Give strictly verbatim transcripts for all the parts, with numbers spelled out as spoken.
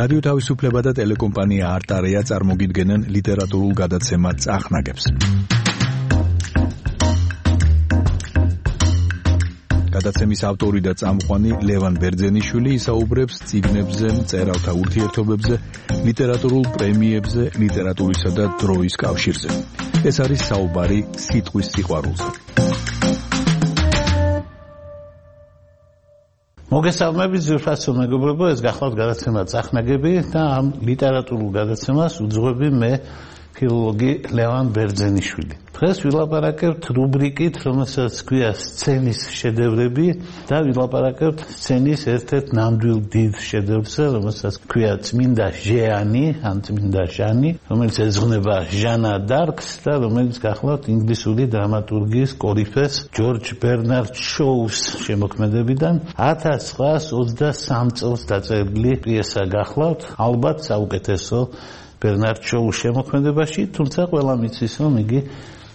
რადიო თავისუფლება და ტელეკომპანია არტარეა წარმოგიდგენენ ლიტერატურულ გადაცემა წახნაგებს. გადაცემის ავტორი და წამყვანი ლევან ბერძენიშვილი ისაუბრებს წიგნებზე, მწერალთა ურთიერთობებზე, ლიტერატურულ პრემიებზე, ლიტერატურისა და დროის კავშირზე. ეს არის საუბარი სიტყვის სიყვარულზე. მოგესალმებით ძვირფასო მეგობრებო, ეს გახლავთ გადაცემა წახნაგები და ამ ლიტერატურულ გადაცემას უძღვები მე ფილოლოგი ლევან ბერძენიშვილი. დღეს ვილაპარაკებთ რუბრიკით, რომელსაც ქვია სცენის შედევრები და ვილაპარაკებთ სცენის ერთ-ერთ ნამდვილ დიდ შედევრზე, რომელსაც ქვია წმინდა ჟიანი, ან წმინდა ჟანი, რომელიც ეძღვნება ჟანა დარკს და რომელიც გახლავთ ინგლისური დრამატურგიის კორიფეს ჯორჯ ბერნარდ შოუს შემოქმედებიდან ათას ცხრაას ოცდასამ წელს დაწერილი პიესა გახლავთ, ალბათ საუკეთესო ბერნარდ შოუს შემოქმედებაში, თუმცა ყველა მიცის, რომ იგი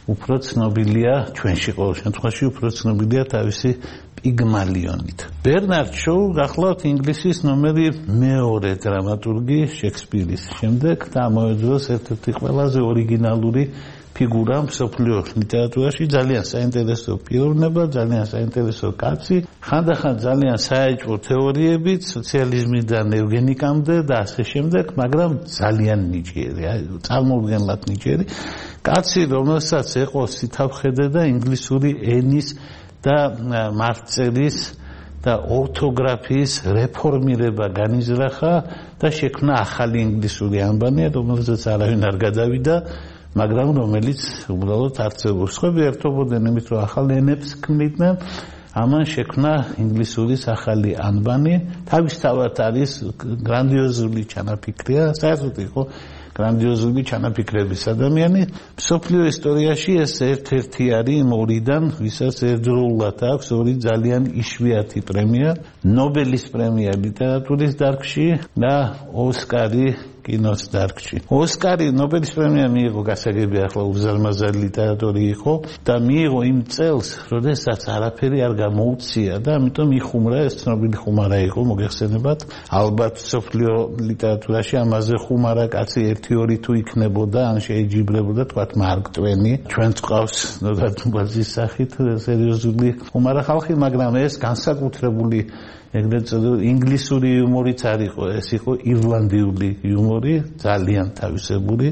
უფრო ცნობილია ჩვენში ყოველ შემთხვევაში უფრო ცნობილია თავისი პიგმალიონით. ბერნარდ შოუ გახლავთ ინგლისის ნომერი მეორე დრამატურგი შექსპირის შემდეგ და ამავე დროს ერთ-ერთი ყველაზე ორიგინალური ფიგურა მსოფლიო ლიტერატურაში, ძალიან საინტერესო პიროვნება, ძალიან საინტერესო კაცი, ხანდახან ძალიან საეჭვო თეორიებით, სოციალიზმიდან ევგენიკამდე და ასე შემდეგ, მაგრამ ძალიან ნიჭიერი, წარმოუდგენლად ნიჭიერი კაცი, რომელსაც ეყო სითაფხედე და ინგლისური ენის და მარწერის და ორთოგრაფიის რეფორმირება განიზრახა და შექმნა ახალი ინგლისური ანბანი, რომელზეც არავინ არ გადავიდა, მაგრამ რომელიც უბრალოდ არსებობს. სხვები ერთობოდნენ იმით, რომ ახალ ენებს ქმნიდნენ, ამან შექმნა ინგლისურის ახალი ანბანი, თავისთავად არის გრანდიოზული ჩანაფიქრია, საერთოდ იყო გრანდიოზული ჩანაფიქრების ადამიანი. მსოფლიო ისტორიაში ეს ერთ-ერთი არის იმ ორიდან, ვისაც ერთდროულად აქვს ორი ძალიან იშვიათი პრემია, ნობელის პრემია ლიტერატურის დარგში და ოსკარი კინოს დარგში. ოსკარი ნობელის პრემია მიიღო გასაგები ახლა უზარმაზარი ლიტერატორი იყო და მიიღო იმ წელს, როდესაც არაფერი არ გამოუცია და ამიტომ იხუმრა, ეს ცნობილი ხუმარა იყო, მოგეხსენებათ, ალბათ სოფლიო ლიტერატურაში ამაზე ხუმარა კაცი ერთი ორი თუ იქნებოდა, ან შეიჯიბრებოდა, თქვათ მარკ ტვენი, ჩვენც ყავს ნოდარ დუბაძის სახით სერიოზული ხუმარა ხალხი, მაგრამ ეს განსაკუთრებული ეგრეთ წოდებული ინგლისური იუმორიც არ იყო, ეს იყო ირლანდიური იუმორი, ძალიან თავისებური,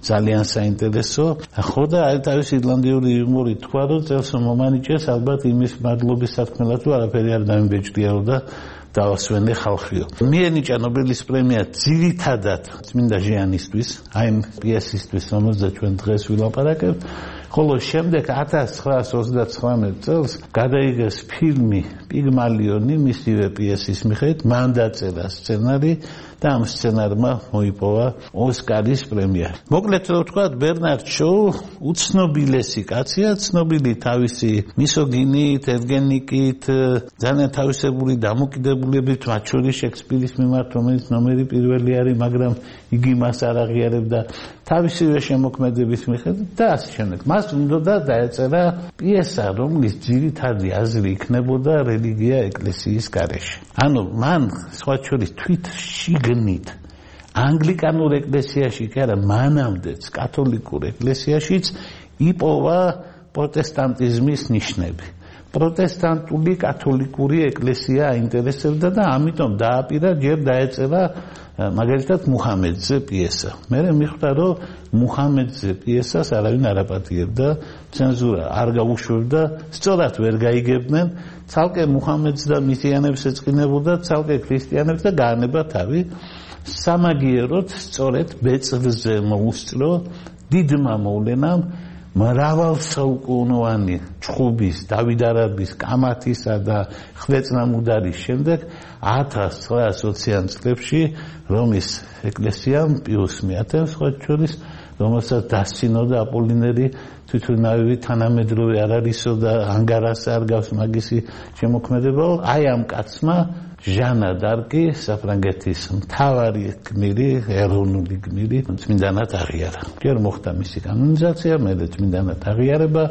ძალიან საინტერესო. ხო და აი თავისი ირლანდიური იუმორი თქვა, რომ წელს მომანიჭეს, ალბათ იმის მადლობის სათქმელად, რომ არაფერი არ დამიბეჭდიაო და დავასვენე ხალხიო. მიენიჭა ნობელის პრემია ძირითადად წმინდა ჟიანისთვის, აი ამ პიესისთვის, რომელზეც ჩვენ დღეს ვილაპარაკებთ. ხოლო შემდეგ ათას ცხრაას ოცდაცხრამეტ წელს გადაიღეს ფილმი პიგმალიონი მისივე პიესის მიხედვით, მან დაწერა სცენარი და ამ სცენარმა მოიპოვა ოსკარის პრემია. მოკლედ რო ვთქვათ, ბერნარდ შოუ უცნობილესი კაცია, ცნობილი თავისი მისოგინით, ევგენიკით, ძალიან თავისებური დამოკიდებულებით, მათ შორის შექსპირის მიმართ, რომელიც ნომერი პირველი არის, მაგრამ იგი მას არ აღიარებდა თავისივე შემოქმედების მიხედვით და ასე შემდეგ. მას უნდა დაეწერა პიესა, რომლის ძირითადი აზრი იქნებოდა რელიგია ეკლესიის გარეშე. ანუ მან სხვა შორის თვით შიგნით ანგლიკანურ ეკლესიაში კი არა, მანამდეც კათოლიკურ ეკლესიაშიც იპოვა პროტესტანტიზმის ნიშნები. პროტესტანტული კათოლიკური ეკლესია აინტერესებდა და ამიტომ დააპირა, ჯერ დაეწერა მაგალითად მუჰამედზე პიესა. მე მიხვდა, რომ მუჰამედზე პიესას არავინ არ აპატიებდა, ცენზურა არ გაუშვებდა, სწორად ვერ გაიგებდნენ, ცალკე მუჰამედს და მისიანებს ეწყინებოდა, ცალკე ქრისტიანებს და გაანება თავი. სამაგიეროდ სწორედ ბეწვზე მოუსწრო დიდმა მოვლენამ მრავალსაუკუნოვანი ჩხუბის, დავით არაბის, კამათისა და ხვეწნამუდარის შემდეგ ათას ცხრაას ოციან წლებში რომის ეკლესიამ პიუს მეათემ სხვა შორის, რომელსაც დასცინოდა აპოლინერი თვითონავი თანამედროვე არ არისო და ანგარას არ გავს მაგისი შემოქმედება, აი ამ კაცმა ჟანა დარკი საფრანგეთის მთავარი გმირი, ეროვნული გმირი, წმინდანად აღიარა. ჯერ მოხდა მისი კანონიზაცია, მერე წმინდანად აღიარება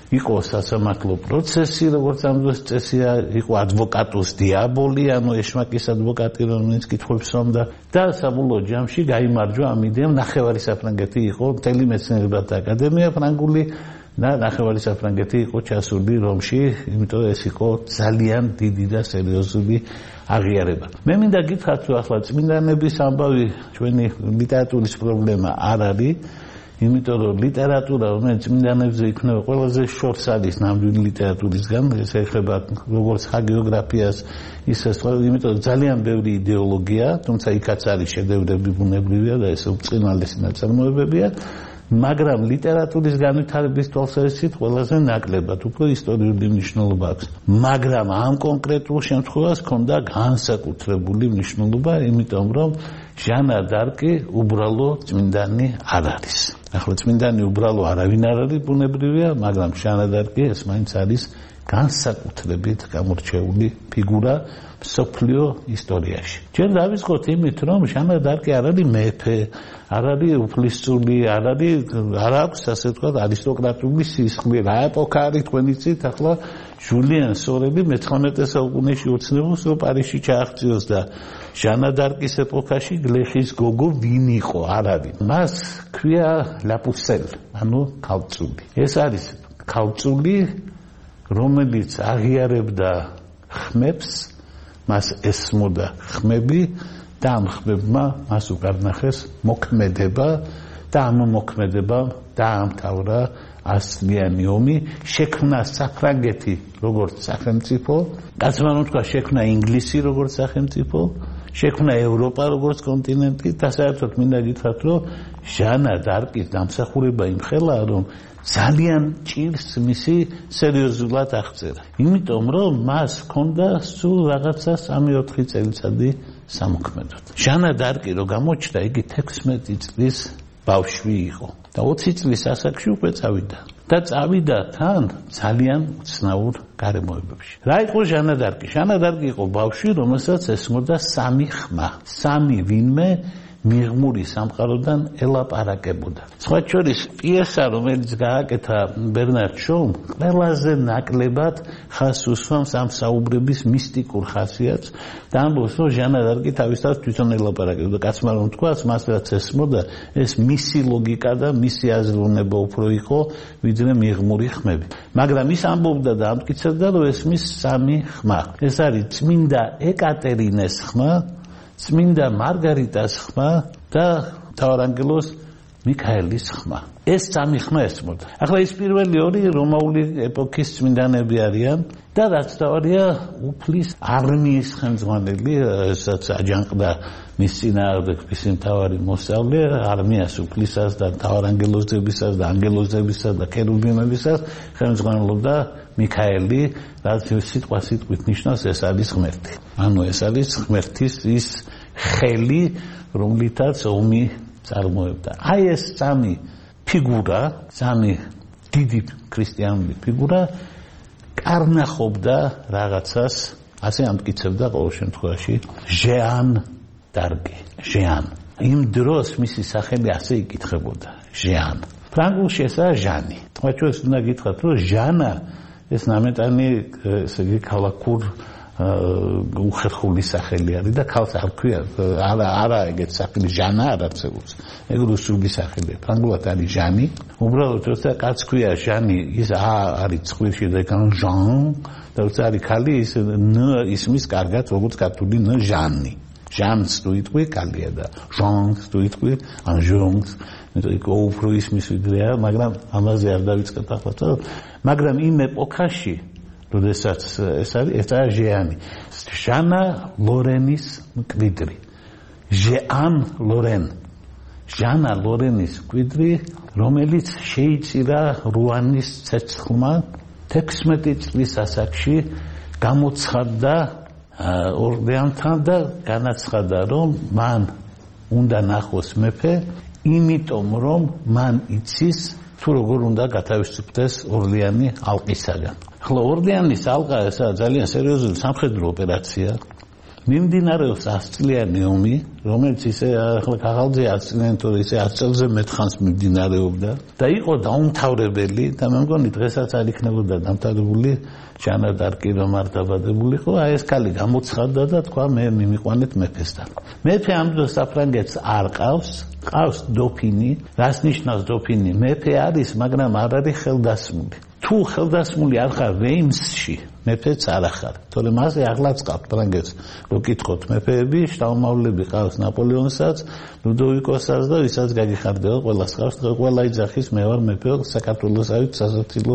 იყო სასამართლო პროცესი, როგორც ამ დროს წესია, იყო ადვოკატუს დიაბოლი, ანუ ეშმაკის ადვოკატი, რომელიც კითხვებს უსვამდა და საბოლოო ჯამში გაიმარჯვა ამ იდეამ. ნახევარი საფრანგეთი იყო მთელი მეცნიერებათა აკადემია ფრანგული და ნახევარი საფრანგეთი იყო ჩასული რომში, იმიტომ ეს იყო ძალიან დიდი და სერიოზული აღიარება. მე მინდა გითხრათ, რომ ახლა წმინდანების ამბავი ჩვენი ლიტერატურის პრობლემა არ არის, იმიტომ რომ ლიტერატურა, რომელიც წმინდანებზე იქნება ყველაზე შორს არის ნამდვილი ლიტერატურისგან, ეს ეხება როგორც ჰაგიოგრაფიას, ისე სხვა, იმიტომ რომ ძალიან ბევრი იდეოლოგია, თუმცა იქაც არის შედევრები ბუნებრივია და ეს უწყინვალესი ნაწარმოებებია. მაგრამ ლიტერატურის განვითარების თვალსაზრისით ყველაზე ნაკლებად უფრო ისტორიული მნიშვნელობა აქვს. მაგრამ ამ კონკრეტულ შემთხვევას ჰქონდა განსაკუთრებული მნიშვნელობა, იმიტომ რომ ჟანა დარკი უბრალო წმინდანი არ არის. ახლა წმინდანი უბრალო არავინ არ არის ბუნებრივია, მაგრამ ჟანა დარკი ეს მაინც არის განსაკუთრებით გამორჩეული ფიგურა მსოფლიო ისტორიაში. ჩვენ დავიწყოთ იმით, რომ ჟანა დარკი არ არის მეფე, არ არის უფლისწული, არ არის არ აქვს ასე ვთქვათ არისტოკრატული სისხლი. რა ეპოქა არის თქვენ იცით? ახლა ჟულიან სორელი მეცხრამეტე საუკუნეში ოცნებობს, რომ პარიზში ჩააღწიოს და ჟანა დარკის ეპოქაში გლეხის გოგო ვინ იყო? არ არის. მას ქვია ლაპუსელ, ანუ ქალწული. ეს არის ქალწული, რომელიც აღიარებდა ხმებს, მას ესმოდა ხმები და ამ ხმებმა მას უკარნახეს მოქმედება და ამ მოქმედებამ დაამთავრა ასლიანი ომი, შექმნა საფრანგეთი როგორც სახელმწიფო, კაცმან თქვა შექმნა ინგლისი როგორც სახელმწიფო, შექმნა ევროპა როგორც კონტინენტი და საერთოდ მინდა გითხრათ, რომ ჟანა დარკის დამსახურება იმხელა, რომ ძალიან ჭირს მისი სერიოზულად აღწერა. იმიტომ რომ მას ჰქონდა სულ რაღაცა სამი ოთხი წელიწადი სამოქმედოდ. ჟანა დარკი რო გამოჩნდა, იგი თექვსმეტი წლის ბავშვი იყო და ოცი წლის ასაკში უკვე წავიდა. და წავიდა თან ძალიან უცნაურ გარემოებებში. რა იყო ჟანა დარკი? ჟანა დარკი იყო ბავშვი, რომელსაც ესმოდა სამი ხმა. სამი ვინმე მიღმური სამყაროდან ელაპარაკებოდა. სხვა შორის პიესა, რომელიც გააკეთა ბერნარ შოუმ, ყველაზე ნაკლებად ხაზს უსვამს ამ საუბრების მისტიკურ ხასიათს და ამბობს, რომ ჟანა დარკი თავისთავად თვითონ ელაპარაკებდა. კაცმა რომ თქვას, მას რაც ესმოდა, ეს მისი ლოგიკა და მისი აზროვნება უფრო იყო, ვიდრე მიღმური ხმები. მაგრამ ის ამბობდა და ამტკიცებდა, რომ ესმის სამი ხმა. ეს არის წმინდა ეკატერინეს ხმა, წმინდა მარგარიტას ხმა და მთავარანგელოს მიქაელის ხმა. ეს სამი ხმა ესმოდა. ახლა ის პირველი ორი რომაული ეპოქის წმინდანები არიან და რაც თავარია უფლის არმიის ხელმძღვანელი, ესაც აჯანყდა მის წინააღმდეგ მისი მთავარი მოსწავლე, არმიას უფლისას და მთავარანგელოზებისას და ანგელოზებისას და ქერუბიმებისას ხელმძღვანელობდა მიქაელი, რაც სიტყვა სიტყვით ნიშნავს, ეს არის ღმერთი. ანუ ეს არის ღმერთის ის ხელი, რომლითაც ომი წარმოებდა. აი ეს სამი ფიგურა, სამი დიდი ქრისტიანული ფიგურა კარნახობდა რაღაცას, ასე ამტკიცებდა ყოველ შემთხვევაში ჟან დარკი. ჟან. იმ დროს მისი სახელი ასე იკითხებოდა, ჟან. ფრანგულში ესაა ჟანი. თქვა ჩვენს უნდა გითხრათ, რომ ჟანა ეს ნამეტანი ესე იგი ქალაქურ უხერხული სახელი არის და ქალს არ ქვია, არა არა ეგეთ სახელი ჟანა არ არსებობს. ეგ რუსული სახელია. ფრანგულად არის ჟანი. უბრალოდ როცა კაც ქვია ჟანი, ის არის ცხვირში და იქ ჟან და როცა არის ქალი, ის ν ისმის კარგად, როგორც ქართული ν ჟანი. ჟანს თუ იტყვი კალია და ჟანს თუ იტყვი ან ჟონს, მეტყვი უფრო ისმის ვიდრეა, მაგრამ ამაზე არ დავიწყებ ახლა. მაგრამ იმ ეპოქაში, როდესაც ეს არის, ეს არის ჟიანი. ჟანა ლორენის მკვიდრი. ჟან ლორენ. ჟანა ლორენის მკვიდრი, რომელიც შეიწირა რუანის ცეცხლმა თექვსმეტი წლის ასაკში გამოცხადდა ორლეანთან და განაცხადა, რომ მან უნდა ნახოს მეფე, იმიტომ რომ მან იცის თუ როგორ უნდა გათავისუფლდეს ორლეანი ალყისაგან. ახლა ორლეანის ალყა ესაა ძალიან სერიოზული სამხედრო ოპერაცია მიმდინარეობს ასწლიანი ომი, რომელიც ისე ახლა ქაღალდზე ასწლიანი თორე ისე ათი წელზე მეტ ხანს მიმდინარეობდა და იყო დაუმთავრებელი და მე მგონი დღესაც არ იქნებოდა დამთავრებული ჟანა დარკი რომ არ დაბადებულიყო, აი ეს ქალი გამოცხადდა და თქვა მე მიმიყვანეთ მეფესთან. მეფე ამ დროს საფრანგეთს არ ყავს, ყავს დოფინი, რას ნიშნავს დოფინი? მეფე არის, მაგრამ არ არის ხელდასმული. თუ ხელდასმული არ ხარ რეიმსში, მეფეც არ ახარ. თორემ მასე აღლაც ყავთ ფრანგეთს. რო გითხოთ მეფეები, შტაუმავლები ყავს ნაპოლეონსაც, ლუდოვიკოსაც და ვისაც გაგიხარდება, ყველას ყავს, ყველა იძახის მე ვარ მეფე, საქართველოსავით სასაცილო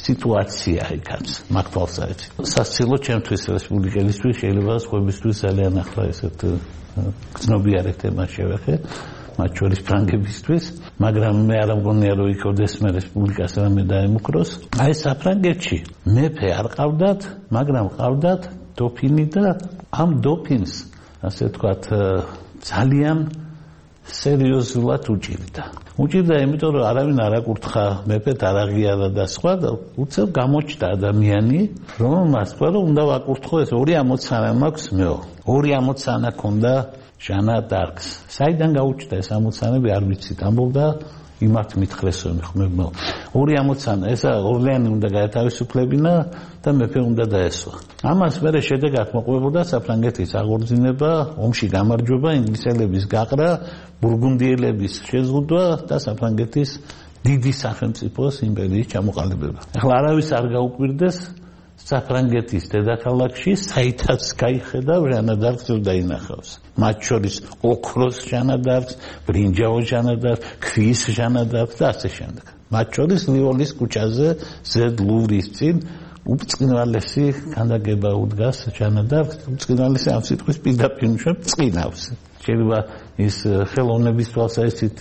სიტუაცია იქაც, მართალსაც. სასაცილო ჩემთვის რესპუბლიკელისთვის შეიძლება სხვებისთვის ძალიან ახლა ესეთ ცნობიარე თემა შევეხე. მათ შორის ფრანგებისთვის, მაგრამ მე არ მგონია რომ იქოდეს მე რესპუბლიკას რამე დაემუქროს. აი საფრანგეთში მეფე არ ყავდათ, მაგრამ ყავდათ დოფინი და ამ დოფინს, ასე ვთქვათ, ძალიან სერიოზულად უჭირდა. უჭირდა იმიტომ რომ არავინ არ აკურთხა, მეფეთ არ აღიარა და სხვა და უცებ გამოჩნდა ადამიანი, რომელმაც თქვა რომ უნდა ვაკურთხო ეს ორი ამოცანა მაქვს მეო. ორი ამოცანა ქონდა ჟანა დარკს. საიდან გაუჩნდა ეს ამოცანები არ ვიცით, ამბობდა იმათ მითხრესო მეხმებო. ორი ამოცანა, ესა ორლეანი უნდა გაეთავისუფლებინა და მეფე უნდა დაესვა. ამას მერე შედეგად მოყვებოდა საფრანგეთის აღორძინება, ომში გამარჯვება, ინგლისელების გაყრა, ბურგუნდიელების შეზღუდვა და საფრანგეთის დიდი სახელმწიფოს იმპერიის ჩამოყალიბება. ახლა არავის არ გაუკვირდეს საფრანგეთის დედაქალაქში საითაც გაიხედა ჟანა დარკს რომ დაინახავს. მათ შორის ოქროს ჟანა დარკს, ბრინჯაოს ჟანა დარკს, ქვის ჟანა დარკს და ასე შემდეგ. მათ შორის ლიოლის ქუჩაზე ზედ ლუვრის წინ უბრწყინვალესი ქანდაკება უდგას ჟანა დარკს, უბრწყინვალესი ამ სიტყვის პირდაპირ წყინავს. შეიძლება ის ხელოვნების თვალსაზრისით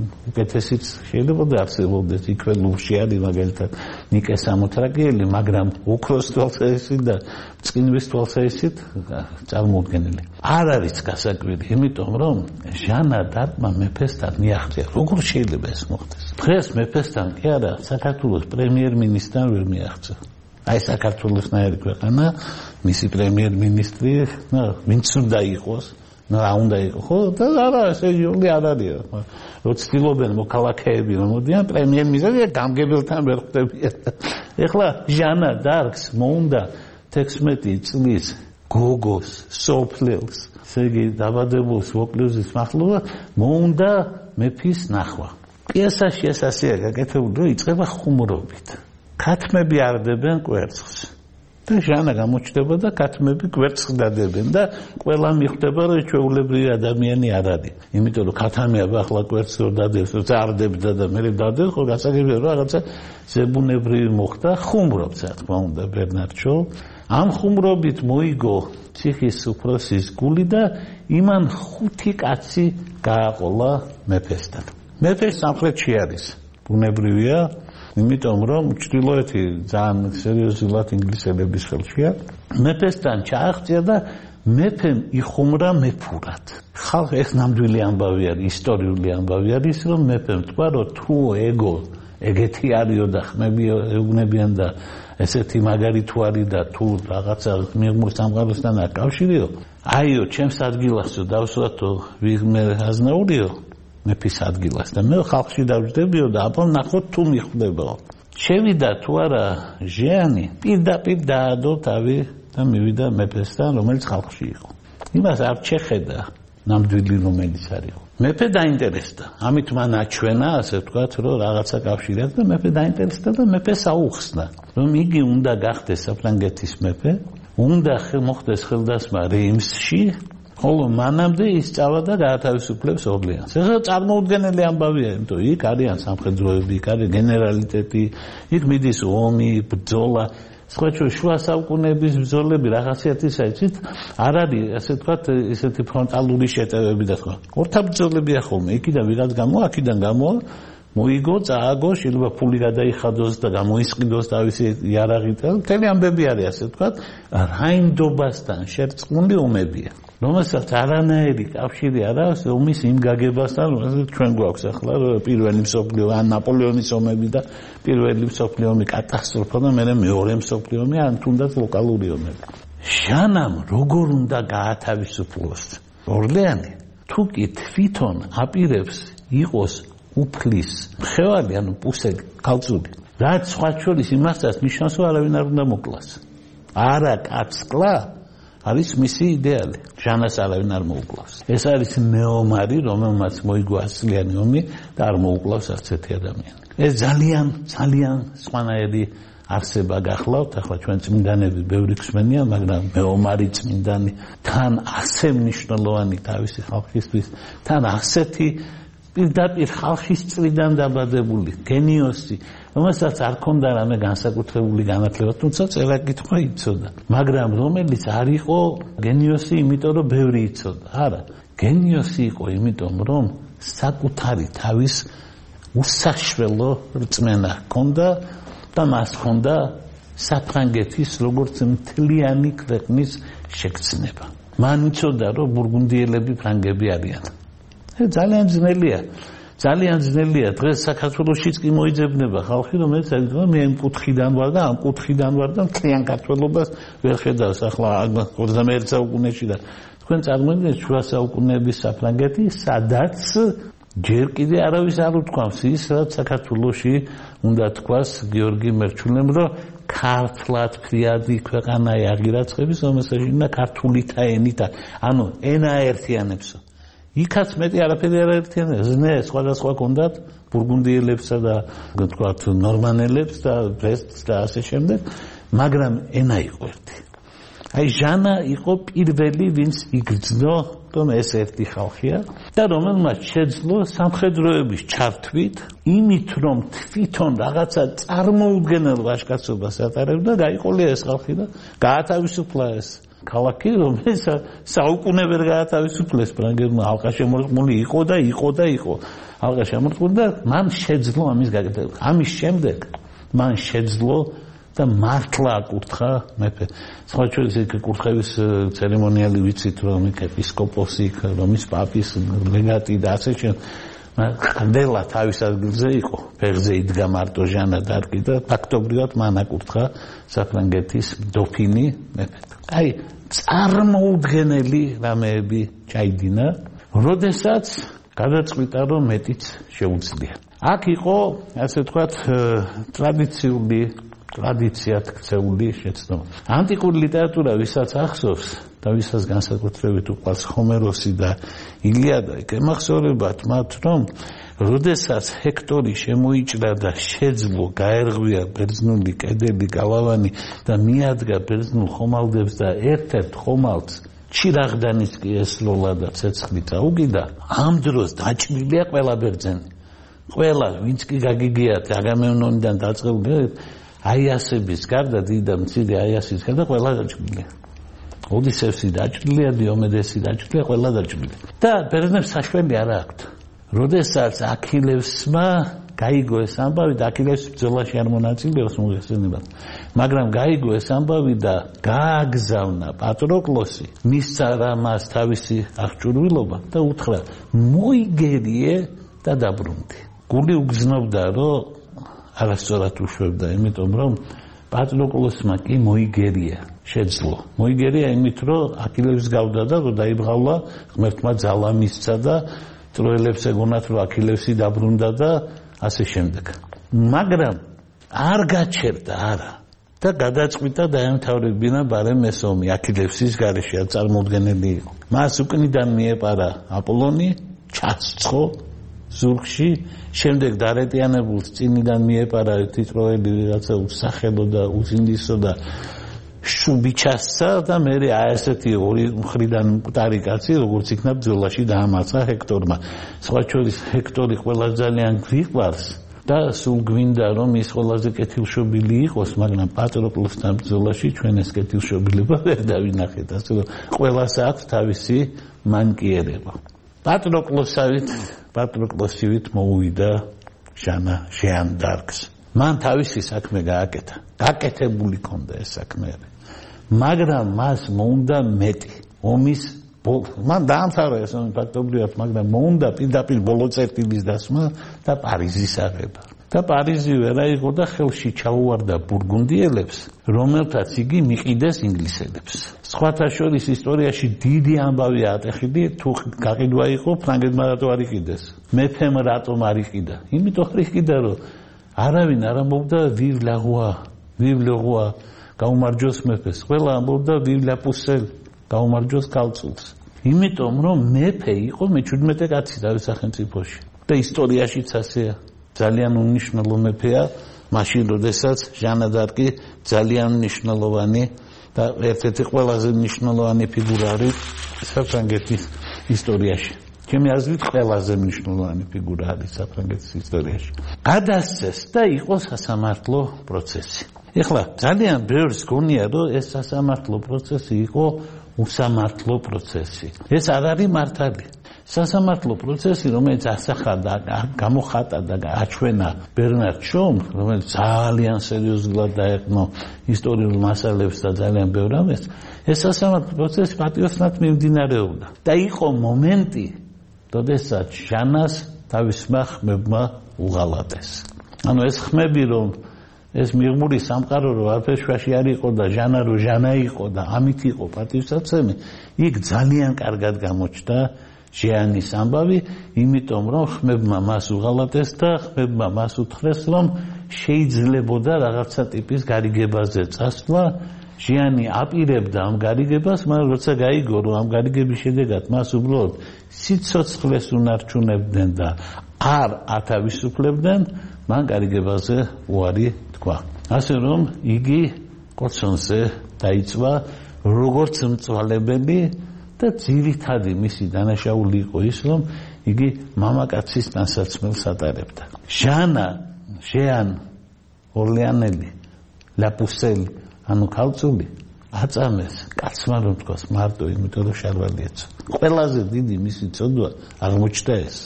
უკეთესიც შეიძლება და არსებობდეს იქვე ლუვში არის მაგალითად ნიკე სამოთრაგიელი, მაგრამ ოქროს თვალსაზრისით და წყინვის თვალსაზრისით წარმოუდგენელი. არ არის გასაკვირი, იმიტომ რომ ჟანა დარკმა მეფესთან მიაღწია. როგორ შეიძლება ეს მოხდეს? დღეს მეფესთან კი არა, საქართველოს პრემიერ-მინისტრთან ვერ მიაღწია. აი საქართველოსნაირი ქვეყანა, მისი პრემიერ-მინისტრი, ნუ ვინც უნდა იყოს რა უნდა იყო ხო და არა სერიოზული არ არის რო ცდილობენ მოქალაქეები რომ მოდიან პრემიერ-მინისტრი გამგებელთან ვერ ხვდებიან. ეხლა ჟანა დარკს მოუნდა თექვსმეტი წლის გოგოს სოფლელს, ესე იგი დაბადებულს ვოკლუზის მახლობა მოუნდა მეფის ნახვა. პიესაში ეს ასეა გაკეთებული, რომ იწყება ხუმრობით. ქათმები არდებენ კვერცხს. და ჟანა გამოჩნდება და ქათმები კვერცხს დადებენ და ყველა მიხვდება რომ ჩვეულებრივი ადამიანი არ არის. იმიტომ რომ ქათამია ახლა კვერცხს რომ დადებს, რომ წარდებდა და მე დადებს, ხო გასაგებია რომ რაღაცა ზებუნებრივი მოხდა, ხუმრობს რა თქმა უნდა ბერნარდ შო. ამ ხუმრობით მოიგო ციხის უფროსის გული და იმან ხუთი კაცი გააყოლა მეფესთან. მეფე სამხრეთში არის. ბუნებრივია იმიტომ რომ ჩრდილოეთი ძალიან სერიოზულად ინგლისელების ხელშია. მეფესთან ჩააღწია და მეფემ იხუმრა მეფურად. ხალხ ეს ნამდვილი ამბავი არის, ისტორიული ამბავი არის, რომ მეფემ თქვა რომ თუ ეგო ეგეთი არისო და ხმები ეუბნებიან და ესეთი მაგარი თუ არის და თუ რაღაცა მიღმურ სამყაროსთან არ კავშირიო, აიო ჩემს ადგილასო დავსვათო ვიღმე აზნაურიო მეფის ადგილას და მე ხალხში დავждებიო და აბა ნახოთ თუ მიხვდებო. შევიდა თუ არა ჟიანი, პირდაპირ დაადო თავი და მივიდა მეფესთან, რომელიც ხალხში იყო. იმას არ შეხედა ნამდვილი რომელიც არის. მეფე დაინტერესდა. ამით მან აჩვენა, ასე ვთქვათ, რომ რაღაცა კავშირი აქვს და მეფე დაინტერესდა და მეფე საუხსნა, რომ იგი უნდა გახდეს საფრანგეთის მეფე, უნდა მოხდეს ხელდასმა რეიმსში. ხოლო მანამდე ის წავა და გაათავისუფლებს ორლეანს. ეხლა წარმოუდგენელი ამბავია, იმიტომ იქ არიან სამხედროები, იქ არის გენერალიტეტი, იქ მიდის ომი, ბრძოლა. სხვა შუა საუკუნეების ბრძოლები რაღაციათისა იცით, არ არის, ასე ვთქვათ, ესეთი ფრონტალური შეტევები და სხვა. ორთაბრძოლებია ხოლმე, იქიდან ვიღაც გამო, აქედან გამო, მოიგო, წააგო, შეიძლება ფული გადაიხადოს და გამოისყიდოს თავისი იარაღით. მთელი ამბები არის, ასე ვთქვათ, რაინდობასთან შერწყმული ომებია. რომელსაც არანაირი კავშირი არ აქვს ომის იმ გაგებასთან, რომელსაც ჩვენ გვაქვს ახლა პირველი მსოფლიო ან ნაპოლეონის ომები და პირველი მსოფლიო ომი კატასტროფა და მერე მეორე მსოფლიო ომი ან თუნდაც ლოკალური ომები. ჟანამ როგორ უნდა გაათავისუფლოს ორლეანი თუ კი თვითონ აპირებს იყოს უფლის მხევარი ანუ პუსელი ქალწული რაც სხვა შორის იმასაც ნიშნავს რომ არავინ არ უნდა მოკლას არა კაცკლა არის მისი იდეალი ჟანას არავინ არ მოუკლავს ეს არის მეომარი რომელმაც მოიგო ასლიანი ომი და არ მოუკლავს არცერთი ადამიანი ეს ძალიან ძალიან სხვანაირი არსება გახლავთ ახლა ჩვენ წმინდანები ბევრი გვსმენია მაგრამ მეომარი წმინდანი თან ასე მნიშვნელოვანი თავისი ხალხისთვის თან ასეთი პირდაპირ ხალხის წრიდან დაბადებული გენიოსი რომელსაც არ ქონდა რამე განსაკუთრებული განათლება თუმცა წერა კითხვა იცოდა მაგრამ რომელიც არ იყო გენიოსი იმიტომ რომ ბევრი იცოდა არა გენიოსი იყო იმიტომ რომ საკუთარი თავის უსაშველო რწმენა ჰქონდა და მას ჰქონდა საფრანგეთის როგორც მთლიანი ქვეყნის შეგრძნება მან იცოდა რომ ბურგუნდიელები ფრანგები არიან ძალიან ძნელია ძალიან ძნელია დღეს საქართველოშიც კი მოიძებნება ხალხი რომელიც ეკითხება მე ამ კუთხიდან ვარ და ამ კუთხიდან ვარ და მთლიან საქართველობას ვერ ხედავს ახლა ოცდამეერთე საუკუნეში და თქვენ წარმოიდგინეთ შუა საუკუნეების საფრანგეთი სადაც ჯერ კიდე არავის არ უთქვამს ის რაც საქართველოში უნდა თქვას გიორგი მერჩულემ რომ ქართლად ფრიადი ქვეყანაა აღირაცხების რომელსაც უნდა ქართულითა ენითა ანუ ენა ერთიანებსო იქაც მეტი არაფერი არ ერთიანებს ზნე სხვადასხვა კონდათ ბურგუნდიელებსა და თქვათ ნორმანელებს და ბრესტს და ასე შემდეგ მაგრამ ენა იყო ერთი აი ჟანა იყო პირველი ვინც იგრძნო რომ ეს ერთი ხალხია და რომელმაც შეძლო სამხედროების ჩართვით იმით რომ თვითონ რაღაცა წარმოუდგენელ ვაჟკაცობას ატარებდა გაიყოლია ეს ხალხი და გაათავისუფლა ეს ქალაქი რომელიც საუკუნე ვერ გაათავისუფლეს ფრანგებმა ალყა შემორტყმული იყო და იყო და იყო ალყა შემორტყმული და მან შეძლო ამის გაკეთება ამის შემდეგ მან შეძლო და მართლა აკურთხა მეფე სხვა შორის იქ კურთხევის ცერემონიალი ვიცით რომ იქ ეპისკოპოსი რომის პაპის ლეგატი და ასე შემდეგ ხდელა თავის ადგილზე იყო ფეხზე იდგა მარტო ჟანა დარკი და ფაქტობრივად მან აკურთხა საფრანგეთის დოფინი მეფე აი წარმოუდგენელი რამეები ჩაიდინა როდესაც გადაწყვიტა რომ მეტიც შეუძლია აქ იყო ასე ვთქვათ ტრადიციული ტრადიციად ქცეული შეცდომა ანტიკური ლიტერატურა ვისაც ახსოვს და ვისაც განსაკუთრებით უყვარს ჰომეროსი და ილიადა ემახსოვრებათ მათ რომ როდესაც ჰექტორი შემოიჭრა და შეძლო გაერღვია ბერძნული კედელი გალავანი და მიადგა ბერძნულ ხომალდებს და ერთ-ერთ ხომალდს ჩირაღდანის კი ესლოლა და ცეცხლი წაუგიდა ამ დროს დაჭრილია ყველა ბერძენი ყველა ვინც კი გაგიგიათ აგამემნონიდან დაწყებული აიასების გარდა დიდ მცირე აიასის გარდა ყველა დაჭრილია ოდისევსი დაჭრილია დიომედესი დაჭრილია ყველა დაჭრილია და ბერძნებს საშველი არ აქვთ როდესაც აქილევსმა გაიგო ეს ამბავი და აქილევს ბრძოლაში არ მონაწილეობს მოიხსენებათ მაგრამ გაიგო ეს ამბავი და გააგზავნა პატროკლოსი მისცა რა მას თავისი აღჭურვილობა და უთხრა მოიგერიე და დაბრუნდი გული უგზნობდა რომ არასწორად უშვებდა იმიტომ რომ პატროკლოსმა კი მოიგერია შეძლო მოიგერია იმით რომ აქილევს გავდა და რომ დაიბღავლა ღმერთმა ძალა მისცა და ტროელებს ეგონათ რომ აქილევსი დაბრუნდა და ასე შემდეგ მაგრამ არ გაჩერდა არა და გადაწყვიტა დაემთავრებინა ბარემ ეს ომი აქილევსის გარეშე წარმოუდგენელი იყო მას უკნიდან მიეპარა აპოლონი ჩაცხო ზურგში შემდეგ დარეტიანებულს წინიდან მიეპარა ერთი ტროელი რაღაცა უსახელო და უძინდისო და შუბიჩასცა და მე ასეთი ორი მხრიდან მკვდარი კაცი როგორც იქნა ბრძოლაში დაამარცხა ჰექტორმა სხვა შორის ჰექტორი ყველაზე ძალიან გვიყვარს და სულ გვინდა რომ ის ყველაზე კეთილშობილი იყოს მაგრამ პატროკლოსთან ბრძოლაში ჩვენ ეს კეთილშობილება ვერ დავინახეთ ასე რომ ყველას აქვს თავისი მანკიერება პატროკლოსავით პატროკლოსივით მოუვიდა ჟანა ჟან დარკს მან თავისი საქმე გააკეთა გაკეთებული ქონდა ეს საქმე მაგრამ მას მოუნდა მეტი ომის მან დაამთავრა ეს ომი ფაქტობრივად მაგრამ მოუნდა პირდაპირ ბოლო წერტილის დასმა და პარიზის აღება და პარიზივე რა იყო და ხელში ჩაუვარდა ბურგუნდიელებს, რომელთაც იგი მიყიდეს ინგლისელებს. სხვათა შორის ისტორიაში დიდი ამბავი ატეხილი, თუ გაყიდვა იყო ფრანგებმა რატო არ იყიდეს. მეფემ რატომ არ იყიდა? იმიტომ არ იყიდა, რომ არავინ არ ამბობდა vive la roi, vive le roi, გაუმარჯოს მეფეს. ყველა ამბობდა vive la pucelle, გაუმარჯოს ქალწულს. იმიტომ რომ მეფე იყო მეჩვიდმეტე კაცი თავის სახელმწიფოში და ისტორიაშიც ასეა. ძალიან უნიშნელო მეფეა, მაშინ როდესაც ჟანა დარკი ძალიან მნიშვნელოვანი და ერთ-ერთი ყველაზე მნიშვნელოვანი ფიგურა არის საფრანგეთის ისტორიაში. ჩემი აზრით ყველაზე მნიშვნელოვანი ფიგურა არის საფრანგეთის ისტორიაში. გადასცეს და იყო სასამართლო პროცესი. ეხლა ძალიან ბევრს გონია, რომ ეს სასამართლო პროცესი იყო უსამართლო პროცესი. ეს არ არის მართალი. სასამართლო პროცესი, რომელიც ასახა და გამოხატა და აჩვენა ბერნარ შოუმს, რომელიც ძალიან სერიოზულად დაეყნო ისტორიულ მასალებს და ძალიან ბევრ ამას, ეს სასამართლო პროცესი პატიოსნად მიმდინარეობდა. და იყო მომენტი, როდესაც ჟანას თავისმა ხმებმა უღალატეს. ანუ ეს ხმები, რომ ეს მიღმური სამყარო რო არაფერში არ იყო და ჟანა რო ჟანა იყო და ამით იყო პატივსაცემი, იქ ძალიან კარგად გამოჩნდა ჟიანის ამბავი, იმიტომ რომ ხმებმა მას უღალატეს და ხმებმა მას უთხრეს, რომ შეიძლებოდა რაღაცა ტიპის გარიგებაზე წასვლა. ჟიანი აპირებდა ამ გარიგებას, მაგრამ როცა გაიგო, რომ ამ გარიგების შედეგად მას უბრალოდ სიცოცხლეს უნარჩუნებდნენ და არ ათავისუფლებდნენ, მან გარიგებაზე უარი თქვა. ასე რომ იგი კოცონზე დაიწვა როგორც მწვალებელი და ძირითადი მისი დანაშაული იყო ის, რომ იგი მამაკაცის ტანსაცმელს ატარებდა. ჟანა, ჟიან ორლეანელი, ლაპუსელი, ანუ ქალწული აწამეს კაცმა რომ თქვას მარტო იმიტომ რომ შარვალი ეცო. ყველაზე დიდი მისი წოდვა აღმოჩნდა ეს.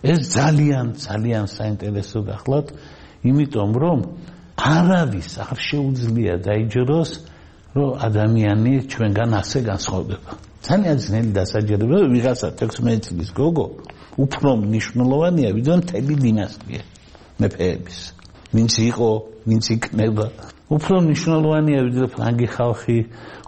ეს ძალიან ძალიან საინტერესო გახლავთ, იმიტომ რომ არავის არ შეუძლია დაიჯეროს, რომ ადამიანი ჩვენგან ასე განსხვავდება. ძალიან ძნელი დასაჯერება, რომ ვიღაცა თექვსმეტი წლის გოგო უფრო მნიშვნელოვანია, ვიდრე მთელი დინასტია მეფეების. ვინც იყო, ვინც იქნება. უფრო მნიშვნელოვანია ვიდრე ფრანგი ხალხი,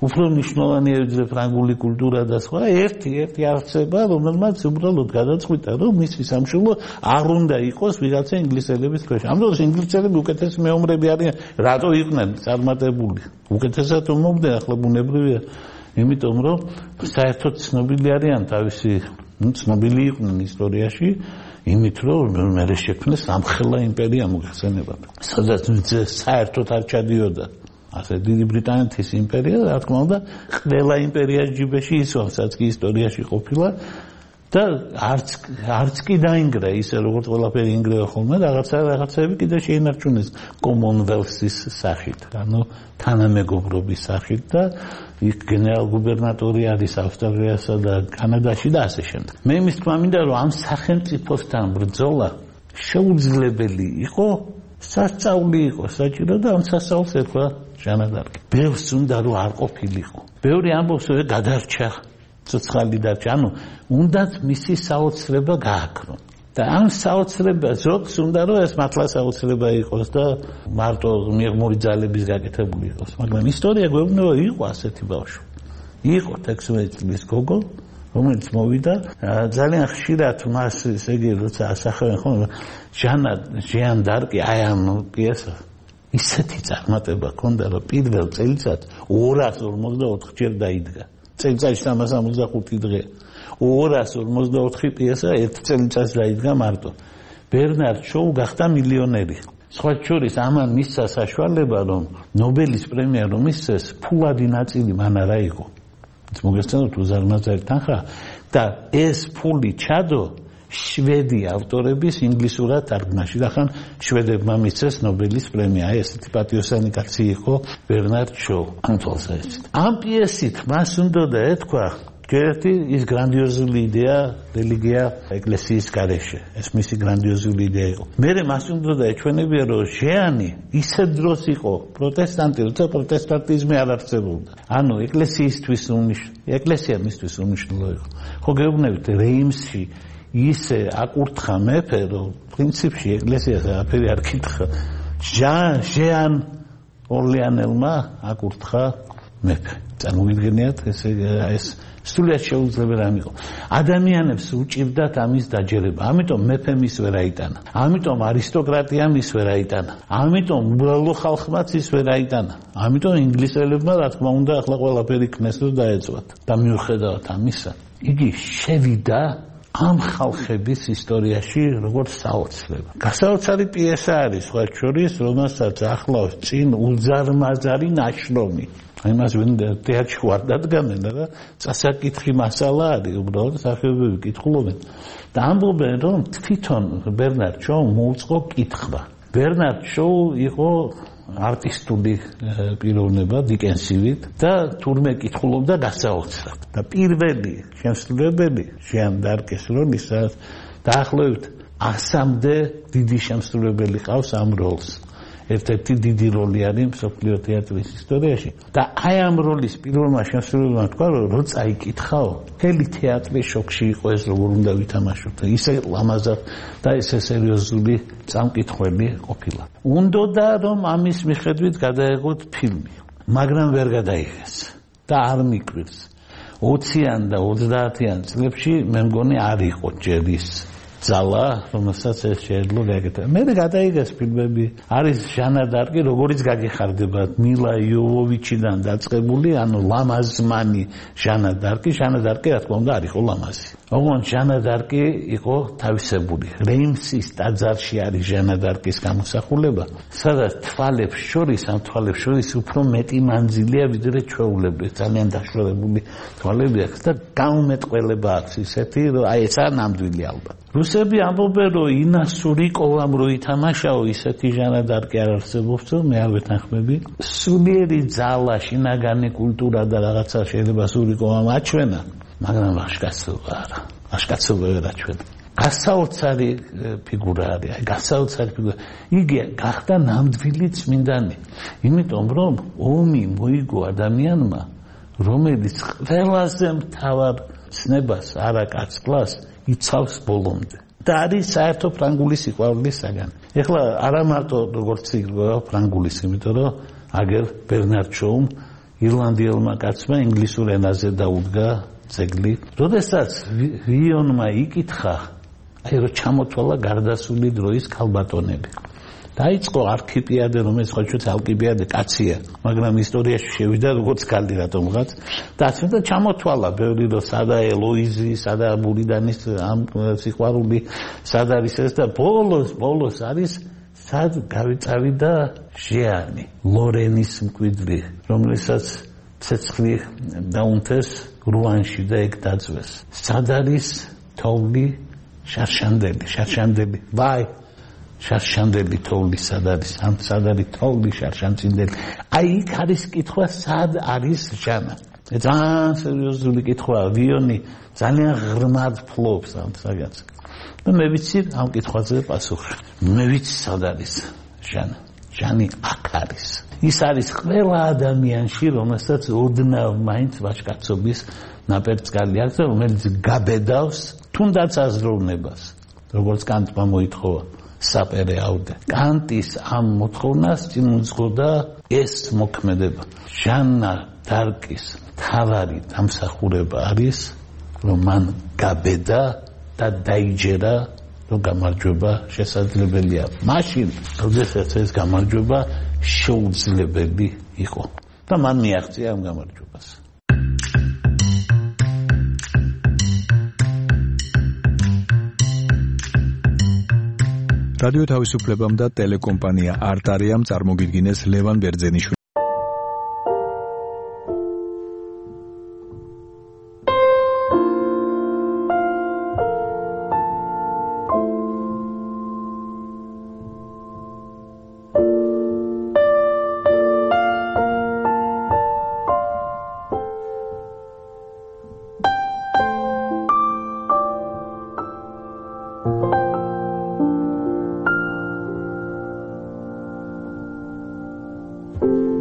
უფრო მნიშვნელოვანია ვიდრე ფრანგული კულტურა და სხვა. ერთი ერთი არცება, რომელმაც უბრალოდ გადაწყვიტა, რომ მისი სამშობლო არ უნდა იყოს ვიღაცა ინგლისელების ქვეშ. ამ დროს ინგლისელები უკეთესი მეომრები არიან, რატო იყვნენ წარმატებული? უკეთესად მომდე, ახლა ბუნებრივია. იმიტომ რომ საერთოდ ცნობილი არიან თავისი, ну, ცნობილი იყვნენ ისტორიაში, იმით რომ მერე შექმნეს სამხელა იმპერია მოგხსენებათ. სადაც საერთოდ არ ჩადიოდა ასე დიდი ბრიტანეთის იმპერია, რა თქმა უნდა, ყველა იმპერიას ჯიბეში ისვამსაც კი ისტორიაში ყოფილა და არც არც კი დაინგრა ისე როგორც ყველაფერი ინგრევა ხოლმე, რაღაცა რაღაცები კიდე შეინარჩუნეს კომონველსის სახით, ანუ თანამეგობრობის სახით და იქ გენერალ-გუბერნატორი არის ავსტრალიასა და კანადაში და ასე შემდეგ. მე იმის თქმა მინდა, რომ ამ სახელმწიფოსთან ბრძოლა შეუძლებელი იყო, სასწაული იყო საჭირო და ამ სასწაულს ეთქვა ჟანა დარკი. ბევრს უნდა რომ არ ყოფილიყო. ბევრი ამბობს, რომ გადარჩა, ცოცხალი დარჩა, ანუ უნდათ მისი საოცრება გააქრონ. და ამ საოცრება ზოგს უნდა რომ ეს მართლა საოცრება იყოს და მარტო მიღმური ძალების გაკეთებული იყოს. მაგრამ ისტორია გვეუბნება, იყო ასეთი ბავშვი. იყო თექვსმეტი წლის გოგო, რომელიც მოვიდა, ძალიან ხშირად მას ესე იგი როცა ასახავენ ხოლმე ჟანა ჟიან დარკი აი ამ პიესას ისეთი წარმატება ჰქონდა, რომ პირველ წელიწადს ორას ორმოცდაოთხ ჯერ დაიდგა. წელიწადში სამას ორმოცდახუთი დღე. ორას ორმოცდაოთხი პიესა ერთ წელიწადს დაიდგა მარტო. ბერნარ შოუ გახდა მილიონერი. სხვა შორის ამან მისცა საშუალება, რომ ნობელის პრემია რომ მისცეს, ფულადი ნაწილი მან არა იყო. მოგესწრებთ უზარმაზარი თანხა და ეს ფული ჩადო შვედი ავტორების ინგლისურად თარგმნაში. ახან შვედებმა მისცეს ნობელის პრემია. აი ესეთი პატიოსანი კაცი იყო ბერნარ შოუ. ამ პიესით მას უნდა ეთქვა ერთი ის გრანდიოზული იდეა რელიგია ეკლესიის გარეშე. ეს მისი გრანდიოზული იდეა იყო. მერე მას უნდა ეჩვენებია, რომ ჟიანი ისეთ დროს იყო პროტესტანტი, როცა პროტესტანტიზმი არ არსებობდა. ანუ ეკლესიისთვის უნიშნელო, ეკლესია მისთვის უნიშნელო იყო. ხო გეუბნებით რეიმსში ისე აკურთხა მეფე, რომ პრინციპში ეკლესიას არაფერი არ კითხა. ჟან ჟან ორლეანელმა აკურთხა მეფე. წარმოგიდგენიათ ესე ეს სულიად შეუძლებელი რამ იყო. ადამიანებს უჭირდათ ამის დაჯერება. ამიტომ მეფემ ის ვერ აიტანა. ამიტომ არისტოკრატიამ ის ვერ აიტანა. ამიტომ უბრალო ხალხმაც ის ვერ აიტანა. ამიტომ ინგლისელებმა რა თქმა უნდა ახლა ყველაფერი ქნეს რომ დაეწვათ. და მიუხედავად ამისა, იგი შევიდა ამ ხალხების ისტორიაში როგორც საოცრება. გასაოცარი პიესა არის სხვა შორის, რომელსაც ახლავს წინ უზარმაზარი ნაშრომი. იმას ვინ თეატრში ვარ დადგამენ და წასაკითხი მასალა არის, უბრალოდ სახეობები კითხულობენ. და ამბობენ, რომ თვითონ ბერნარდ შოუ მოუწყო კითხვა. ბერნარდ შოუ იყო არტისტული პიროვნება დიკენსივით და თურმე კითხულობდა გასაოცრად. და პირველი შემსრულებელი ჟან დარკის როლისაც დაახლოებით ასამდე დიდი შემსრულებელი ყავს ამ როლს. ერთ-ერთი დიდი როლი არის მსოფლიო თეატრის ისტორიაში. და აი ამ როლის პირველმა შემსრულებელმა თქვა, რომ რო წაიკითხაო, მთელი თეატრი შოკში იყო ეს როგორ უნდა ვითამაშოთ. ისე ლამაზად და ესე სერიოზული წამკითხველი ყოფილა. უნდოდა რომ ამის მიხედვით გადაეღოთ ფილმი, მაგრამ ვერ გადაიღეს და არ მიკვირს. ოციან და ოცდაათიან წლებში მე მგონი არ იყო ჯერ ის ძალა, რომელსაც ეს შეეძლო გააკეთა. მე გადაიღეს ფილმები, არის ჟანა დარკი, როგორიც გაგეხარდებათ, მილა იოვოვიჩიდან დაწყებული, ანუ ლამაზმანი ჟანა დარკი, ჟანა დარკი რა თქმა უნდა არ იყო ლამაზი. ოღონდ ჟანა დარკი იყო თავისებული. რეიმსის ტაძარში არის ჟანა დარკის გამოსახულება, სადაც თვალებს შორის, ამ თვალებს შორის უფრო მეტი მანძილია, ვიდრე ჩვეულებრივ, ძალიან დაშორებული თვალები აქვს და გაუმეტყველება აქვს ისეთი, რომ აი ესაა ნამდვილი ალბათ. რუსები ამბობენ, რომ ინასურიკოვამ რო ითამაშაო, ისეთი ჟანა დარკი არ არსებობს, მე არ ვეთანხმები. სულიერი ძალა, შინაგანი კულტურა და რაღაცა შეიძლება სურიკოვამ აჩვენა, მაგრამ ვაშკაცობა არა. ვაშკაცობა ვერ აჩვენა. გასაოცარი ფიგურა არის, აი გასაოცარი ფიგურა. იგი გახდა ნამდვილი წმინდანი, იმიტომ რომ ომი მოიგო ადამიანმა, რომელიც ყველაზე მთავარ ცნებას არა კაცკლას იცავს ბოლომდე. და არის საერთო ფრანგული სიყვარულის საგანი. ეხლა არა მარტო როგორც იგრძნობა ფრანგულის, იმიტომ რომ აგერ ბერნარდ შოუმ ირლანდიელმა კაცმა ინგლისურ ენაზე დაუდგა ძეგლი. როდესაც ვიონმა იკითხა, აი რომ ჩამოთვალა გარდასული დროის ქალბატონები. დაიწყო არქიპიადე, რომელიც ხო ჩვენ ალკიბიადე კაცია, მაგრამ ისტორიაში შევიდა როგორც ქალი რატომღაც. და ასე ჩამოთვალა ბევრი რომ სადა ელოიზი, სადა ბურიდანის ამ სიყვარული, სად არის ეს და ბოლოს ბოლოს არის სად გავიწავიდა ჟიანი, ლორენის მკვიდრი, რომელსაც ცეცხლი დაუნთეს რუანში და ეგ დაძვეს. სად არის თოვლი შარშანდელი, შარშანდელი, ვაი შარშანდელი თოვლი სად არის? ამ სად არის თოვლი შარშანწინდელი? აი იქ არის კითხვა, სად არის ჟანა? ძალიან სერიოზული კითხვაა, ვიონი ძალიან ღრმად ფლობს ამ საგანს. და მე ვიცი ამ კითხვაზე პასუხი. მე ვიცი სად არის ჟანა? ჟანი აქ არის. ის არის ყველა ადამიანში, რომელსაც ოდნავ მაინც ვაჟკაცობის ნაპერწკალი აქვს და რომელიც გაბედავს თუნდაც აზროვნებას, როგორც კანტმა მოითხოვა. საპერე აუდე. კანტის ამ მოთხოვნას წინ უძღოდა ეს მოქმედება. ჟანა დარკის თავარი დამსახურება არის, რომ მან გაბედა და დაიჯერა, რომ გამარჯვება შესაძლებელია. მაშინ, როდესაც ეს გამარჯვება შეუძლებელი იყო და მან მიაღწია ამ გამარჯვებას. რადიო თავისუფლებამ და ტელეკომპანია არტარიამ წარმოგიდგინეს ლევან ბერძენიშვილის you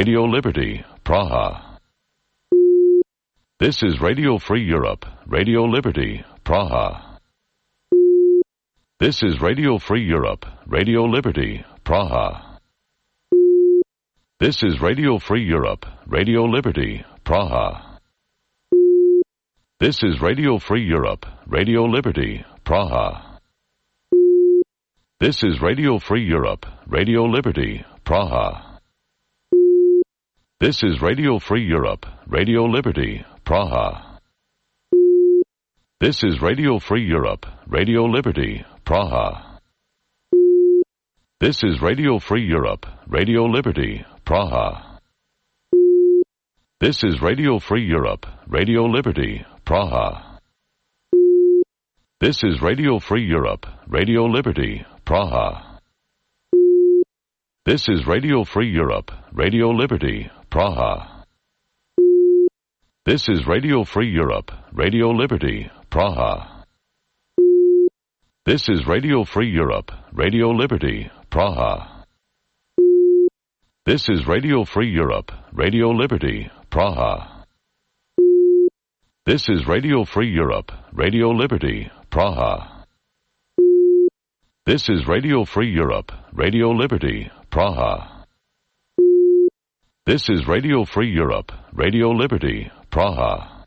Radio Liberty, Praha. This is Radio Free Europe, Radio Liberty, Praha. This is Radio Free Europe, Radio Liberty, Praha. This is Radio Free Europe, Radio Liberty, Praha. This is Radio Free Europe, Radio Liberty, Praha. This is Radio Free Europe, Radio Liberty, Praha. This is Radio Free Europe, Radio Liberty, Praha. This is Radio Free Europe, Radio Liberty, Praha. This is Radio Free Europe, Radio Liberty, Praha. This is Radio Free Europe, Radio Liberty, Praha. This is Radio Free Europe, Radio Liberty, Praha. This is Radio Free Europe, Radio Liberty, Praha. This is Radio Free Europe, Radio Liberty, Praha. This is Radio Free Europe, Radio Liberty, Praha. This is Radio Free Europe, Radio Liberty, Praha. This is Radio Free Europe, Radio Liberty, Praha. This is Radio Free Europe, Radio Liberty, Praha. This is Radio Free Europe, Radio Liberty, Praha.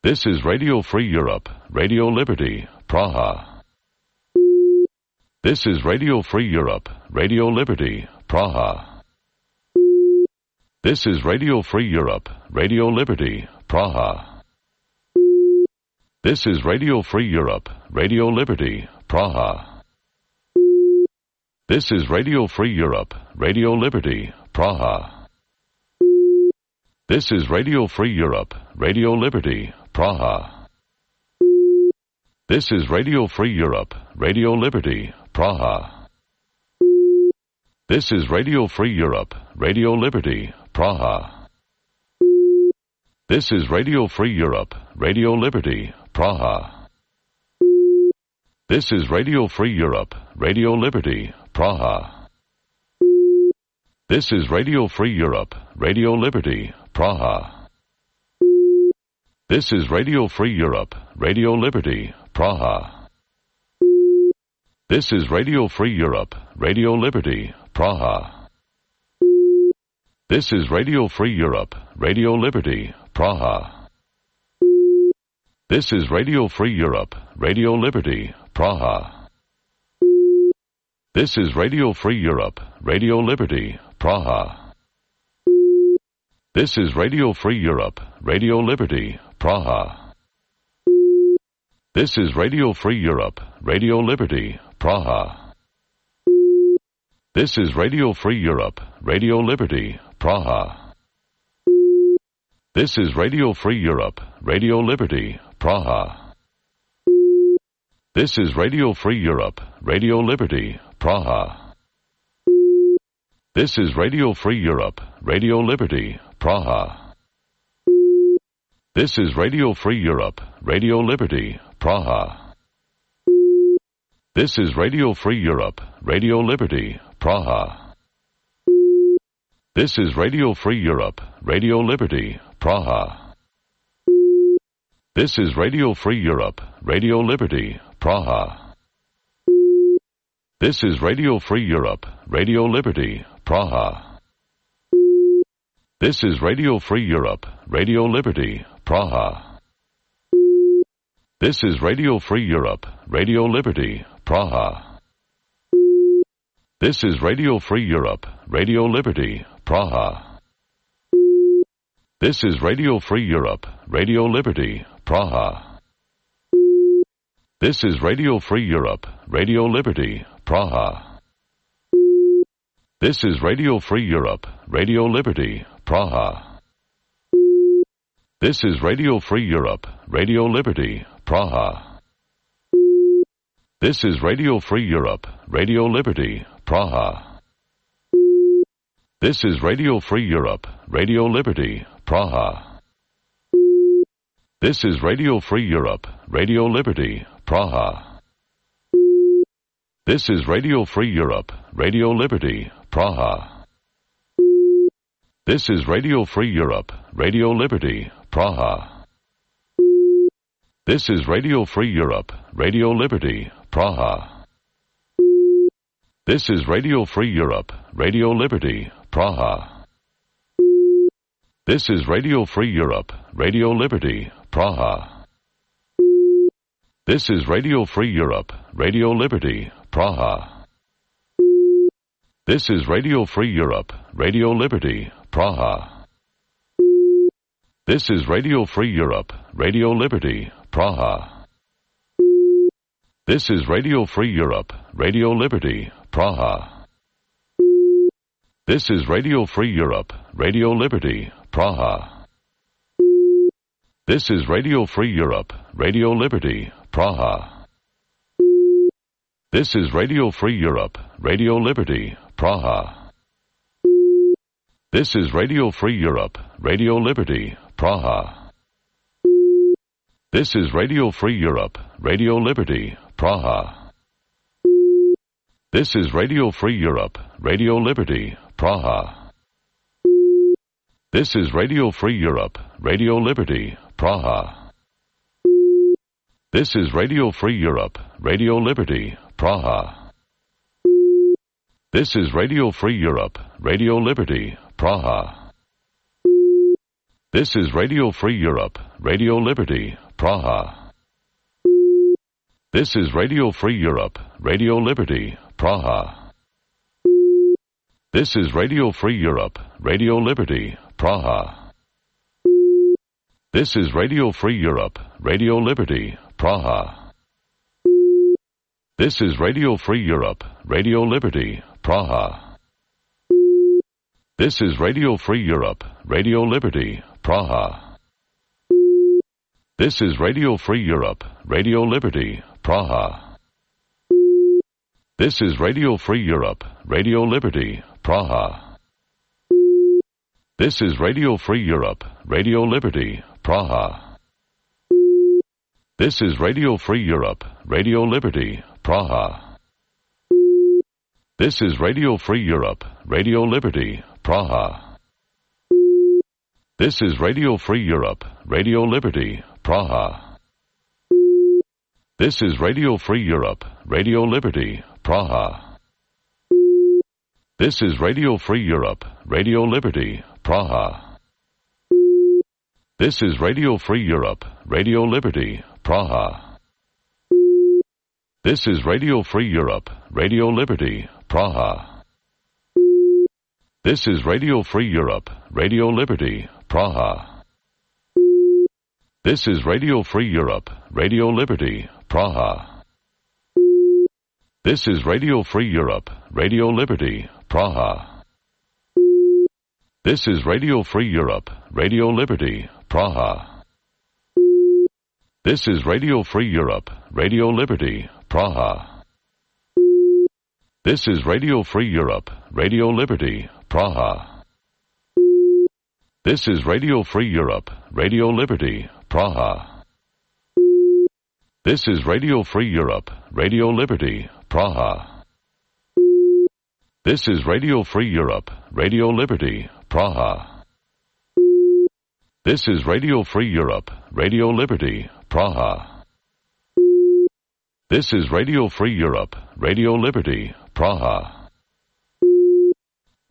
This is Radio Free Europe, Radio Liberty, Praha. This is Radio Free Europe, Radio Liberty, Praha. This is Radio Free Europe, Radio Liberty, Praha. This is Radio Free Europe, Radio Liberty, Praha. This is Radio Free Europe, Radio Liberty, Praha. This is Radio Free Europe, Radio Liberty, Praha. This is Radio Free Europe, Radio Liberty, Praha. This is Radio Free Europe, Radio Liberty, Praha. This is Radio Free Europe, Radio Liberty, Praha. This is Radio Free Europe, Radio Liberty, Praha. This is Radio Free Europe, Radio Liberty, Praha. This is Radio Free Europe, Radio Liberty, Praha. This is Radio Free Europe, Radio Liberty, Praha. This is Radio Free Europe, Radio Liberty, Praha. This is Radio Free Europe, Radio Liberty, Praha. This is Radio Free Europe, Radio Liberty, Praha. This is Radio Free Europe, Radio Liberty, Praha. This is Radio Free Europe, Radio Liberty, Praha. This is Radio Free Europe, Radio Liberty, Praha. This is Radio Free Europe, Radio Liberty, Praha. This is Radio Free Europe, Radio Liberty, Praha. This is Radio Free Europe, Radio Liberty, Praha. This is Radio Free Europe, Radio Liberty, Praha. This is Radio Free Europe, Radio Liberty, Praha. This is Radio Free Europe, Radio Liberty, Praha. This is Radio Free Europe, Radio Liberty, Praha. This is Radio Free Europe, Radio Liberty, Praha. This is Radio Free Europe, Radio Liberty, Praha. This is Radio Free Europe, Radio Liberty, Praha. This is Radio Free Europe, Radio Liberty, Praha. This is Radio Free Europe, Radio Liberty, Praha. This is Radio Free Europe, Radio Liberty, Praha. This is Radio Free Europe, Radio Liberty, Praha. This is Radio Free Europe, Radio Liberty, Praha. This is Radio Free Europe, Radio Liberty, Praha. This is Radio Free Europe, Radio Liberty, Praha. This is Radio Free Europe, Radio Liberty, Praha. This is Radio Free Europe, Radio Liberty, Praha. This is Radio Free Europe, Radio Liberty, Praha. This is Radio Free Europe, Radio Liberty, Praha. This is Radio Free Europe, Radio Liberty, Praha. This is Radio Free Europe, Radio Liberty, Praha. This is Radio Free Europe, Radio Liberty, Praha. This is Radio Free Europe, Radio Liberty, Praha. This is Radio Free Europe, Radio Liberty, Praha. This is Radio Free Europe, Radio Liberty, Praha. This is Radio Free Europe, Radio Liberty, Praha. This is Radio Free Europe, Radio Liberty, Praha. This is Radio Free Europe, Radio Liberty, Praha. This is Radio Free Europe, Radio Liberty, Praha. This is Radio Free Europe, Radio Liberty, Praha. This is Radio Free Europe, Radio Liberty, Praha. This is Radio Free Europe, Radio Liberty, Praha. This is Radio Free Europe, Radio Liberty, Praha. This is Radio Free Europe, Radio Liberty, Praha. This is Radio Free Europe, Radio Liberty, Praha. This is Radio Free Europe, Radio Liberty, Praha. This is Radio Free Europe, Radio Liberty, Praha. This is Radio Free Europe, Radio Liberty, Praha. This is Radio Free Europe, Radio Liberty, Praha. This is Radio Free Europe, Radio Liberty, Praha. This is Radio Free Europe, Radio Liberty, Praha. This is Radio Free Europe, Radio Liberty, Praha. This is Radio Free Europe, Radio Liberty, Praha. This is Radio Free Europe, Radio Liberty, Praha. This is Radio Free Europe, Radio Liberty, Praha. This is Radio Free Europe, Radio Liberty, Praha. This is Radio Free Europe, Radio Liberty, Praha. This is Radio Free Europe, Radio Liberty, Praha. This is Radio Free Europe, Radio Liberty, Praha. This is Radio Free Europe, Radio Liberty, Praha. This is Radio Free Europe, Radio Liberty, Praha. This is Radio Free Europe, Radio Liberty, Praha. This is Radio Free Europe, Radio Liberty, Praha. This is Radio Free Europe, Radio Liberty, Praha. This is Radio Free Europe, Radio Liberty, Praha. This is Radio Free Europe, Radio Liberty, Praha. This is Radio Free Europe, Radio Liberty, Praha. This is Radio Free Europe, Radio Liberty, Praha. This is Radio Free Europe, Radio Liberty, Praha. This is Radio Free Europe, Radio Liberty, Praha. This is Radio Free Europe, Radio Liberty, Praha.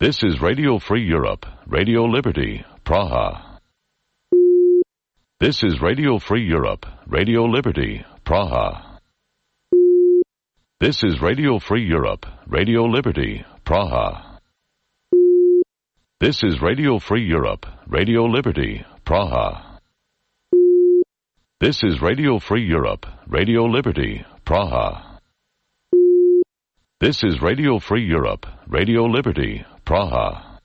This is Radio Free Europe, Radio Liberty, Praha. This is Radio Free Europe, Radio Liberty, Praha. This is Radio Free Europe, Radio Liberty, Praha. This is Radio Free Europe, Radio Liberty, Praha. This is Radio Free Europe, Radio Liberty, Praha. This is Radio Free Europe, Radio Liberty, Praha.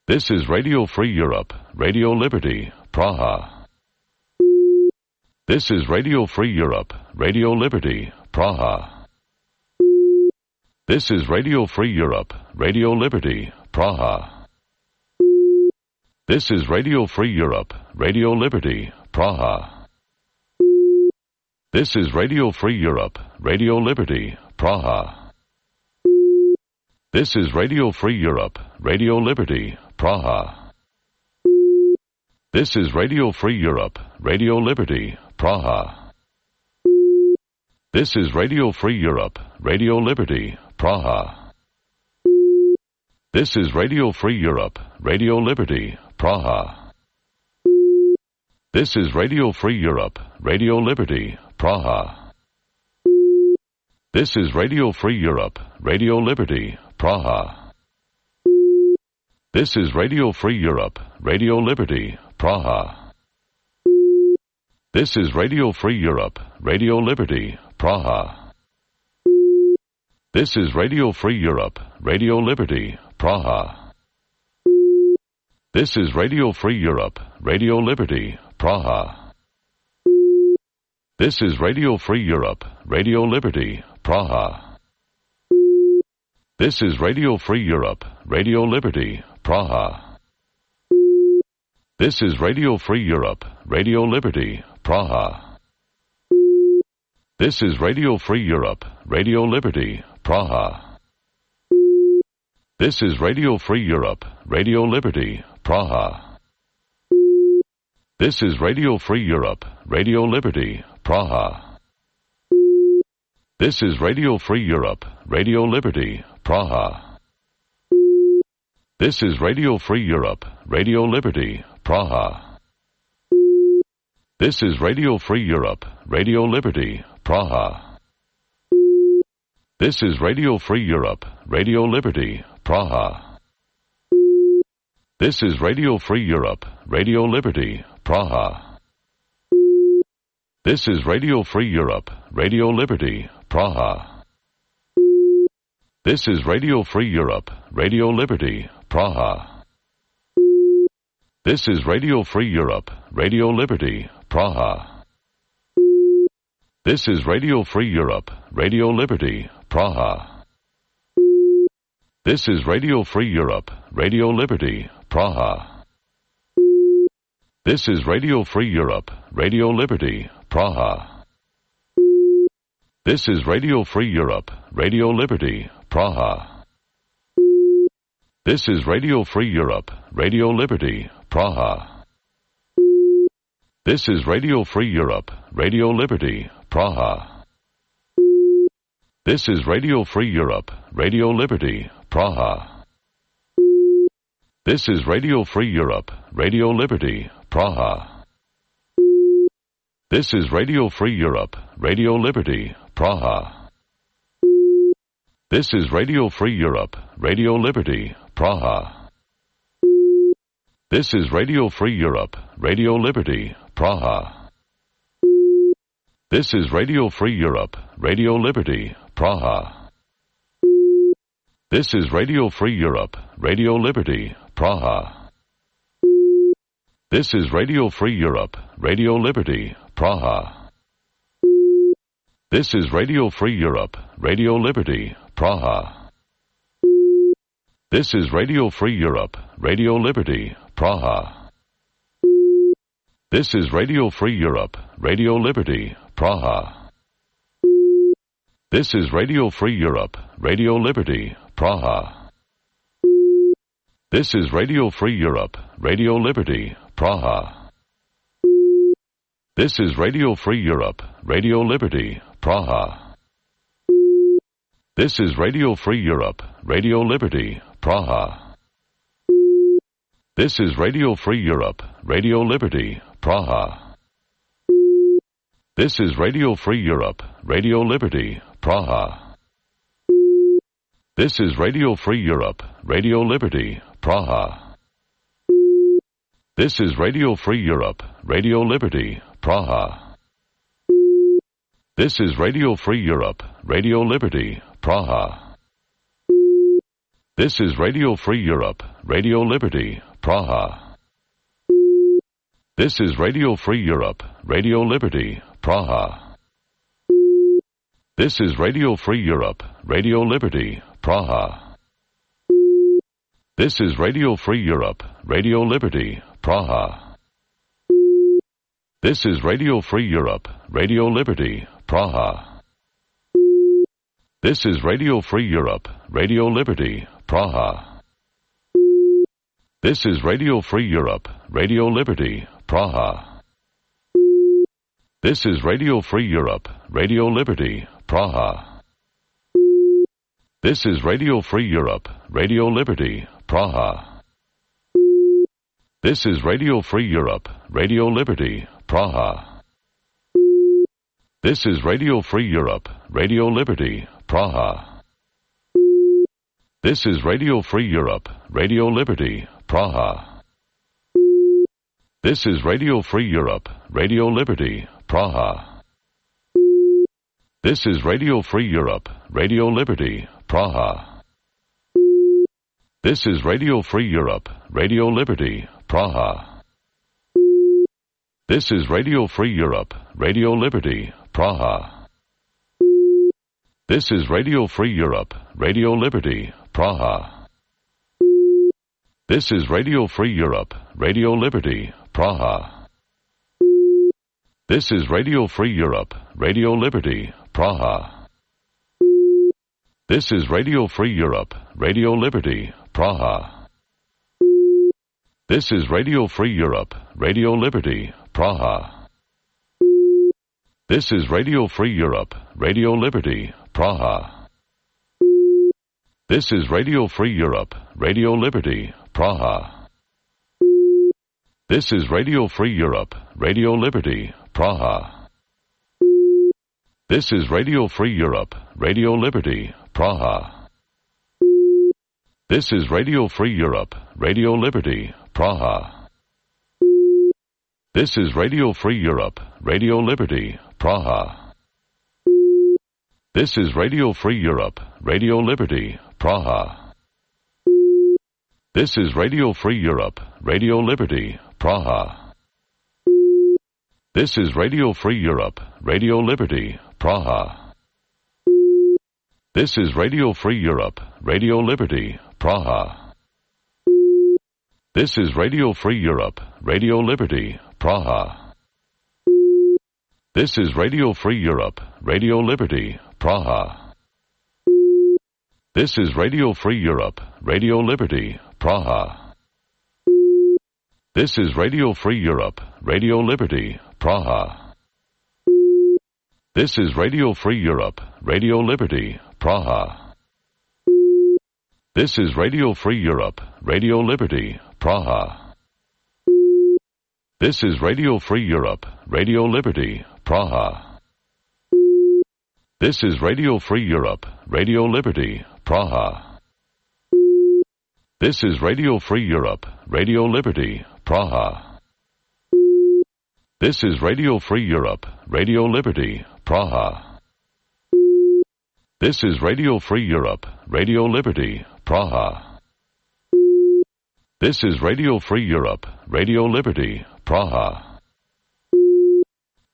This is Radio Free Europe, Radio Liberty, Praha. This is Radio Free Europe, Radio Liberty, Praha. This is Radio Free Europe, Radio Liberty, Praha. This is Radio Free Europe, Radio Liberty, Praha. This is Radio Free Europe, Radio Liberty, Praha. This is Radio Free Europe, Radio Liberty, Praha. This is Radio Free Europe, Radio Liberty, Praha. This is Radio Free Europe, Radio Liberty, Praha. This is Radio Free Europe, Radio Liberty, Praha. This is Radio Free Europe, Radio Liberty, Praha. This is Radio Free Europe, Radio Liberty, Praha. This is Radio Free Europe, Radio Liberty, Praha. This is Radio Free Europe, Radio Liberty, Praha. This is Radio Free Europe, Radio Liberty, Praha. This is Radio Free Europe, Radio Liberty, Praha. This is Radio Free Europe, Radio Liberty, Praha. This is Radio Free Europe, Radio Liberty, Praha. This is Radio Free Europe, Radio Liberty, Praha. This is Radio Free Europe, Radio Liberty, Praha. This is Radio Free Europe, Radio Liberty, Praha. This is Radio Free Europe, Radio Liberty, Praha. This is Radio Free Europe, Radio Liberty, Praha. This is Radio Free Europe, Radio Liberty, Praha. This is Radio Free Europe, Radio Liberty, Praha. This is Radio Free Europe, Radio Liberty, Praha. This is Radio Free Europe, Radio Liberty, Praha. This is Radio Free Europe, Radio Liberty, Praha. This is Radio Free Europe, Radio Liberty, Praha. This is Radio Free Europe, Radio Liberty, Praha. This is Radio Free Europe, Radio Liberty, Praha. This is Radio Free Europe, Radio Liberty, Praha. This is Radio Free Europe, Radio Liberty, Praha. This is Radio Free Europe, Radio Liberty, Praha. This is Radio Free Europe, Radio Liberty, Praha. This is Radio Free Europe, Radio Liberty, Praha. This is Radio Free Europe, Radio Liberty, Praha. This is Radio Free Europe, Radio Liberty, Praha. This is Radio Free Europe, Radio Liberty, Praha. This is Radio Free Europe, Radio Liberty, Praha. This is Radio Free Europe, Radio Liberty, Praha. This is Radio Free Europe, Radio Liberty, Praha. This is Radio Free Europe, Radio Liberty, Praha. This is Radio Free Europe, Radio Liberty, Praha. This is Radio Free Europe, Radio Liberty, Praha. This is Radio Free Europe, Radio Liberty, Praha. This is Radio Free Europe, Radio Liberty, Praha. This is Radio Free Europe, Radio Liberty, Praha. This is Radio Free Europe, Radio Liberty, Praha. This is Radio Free Europe, Radio Liberty, Praha. This is Radio Free Europe, Radio Liberty, Praha. This is Radio Free Europe, Radio Liberty, Praha. This is Radio Free Europe, Radio Liberty, Praha. This is Radio Free Europe, Radio Liberty, Praha. This is Radio Free Europe, Radio Liberty, Praha. This is Radio Free Europe, Radio Liberty, Praha. This is Radio Free Europe, Radio Liberty, Praha. This is Radio Free Europe, Radio Liberty, Praha. This is Radio Free Europe, Radio Liberty, Praha. This is Radio Free Europe, Radio Liberty, Praha. This is Radio Free Europe, Radio Liberty, Praha. This is Radio Free Europe, Radio Liberty, Praha. This is Radio Free Europe, Radio Liberty, Praha. This is Radio Free Europe, Radio Liberty, Praha. This is Radio Free Europe, Radio Liberty, Praha. This is Radio Free Europe, Radio Liberty, Praha. This is Radio Free Europe, Radio Liberty, Praha. This is Radio Free Europe, Radio Liberty, Praha. This is Radio Free Europe, Radio Liberty, Praha. This is Radio Free Europe, Radio Liberty, Praha. This is Radio Free Europe, Radio Liberty, Praha. This is Radio Free Europe, Radio Liberty, Praha. This is Radio Free Europe, Radio Liberty, Praha. This is Radio Free Europe, Radio Liberty, Praha. This is Radio Free Europe, Radio Liberty, Praha. This is Radio Free Europe, Radio Liberty, Praha. This is Radio Free Europe, Radio Liberty, Praha. This is Radio Free Europe, Radio Liberty, Praha. This is Radio Free Europe, Radio Liberty, Praha. This is Radio Free Europe, Radio Liberty, Praha. This is Radio Free Europe, Radio Liberty, Praha. This is Radio Free Europe, Radio Liberty, Praha. This is Radio Free Europe, Radio Liberty, Praha. This is Radio Free Europe, Radio Liberty, Praha. This is Radio Free Europe, Radio Liberty, Praha. This is Radio Free Europe, Radio Liberty, Praha. This is Radio Free Europe, Radio Liberty, Praha. This is Radio Free Europe, Radio Liberty, Praha. This is Radio Free Europe, Radio Liberty, Praha. This is Radio Free Europe, Radio Liberty, Praha. This is Radio Free Europe, Radio Liberty, Praha. This is Radio Free Europe, Radio Liberty, Praha. This is Radio Free Europe, Radio Liberty, Praha. This is Radio Free Europe, Radio Liberty, Praha. This is Radio Free Europe, Radio Liberty, Praha. This is Radio Free Europe, Radio Liberty, Praha. This is Radio Free Europe, Radio Liberty, Praha. This is Radio Free Europe, Radio Liberty, Praha. This is Radio Free Europe, Radio Liberty, Praha.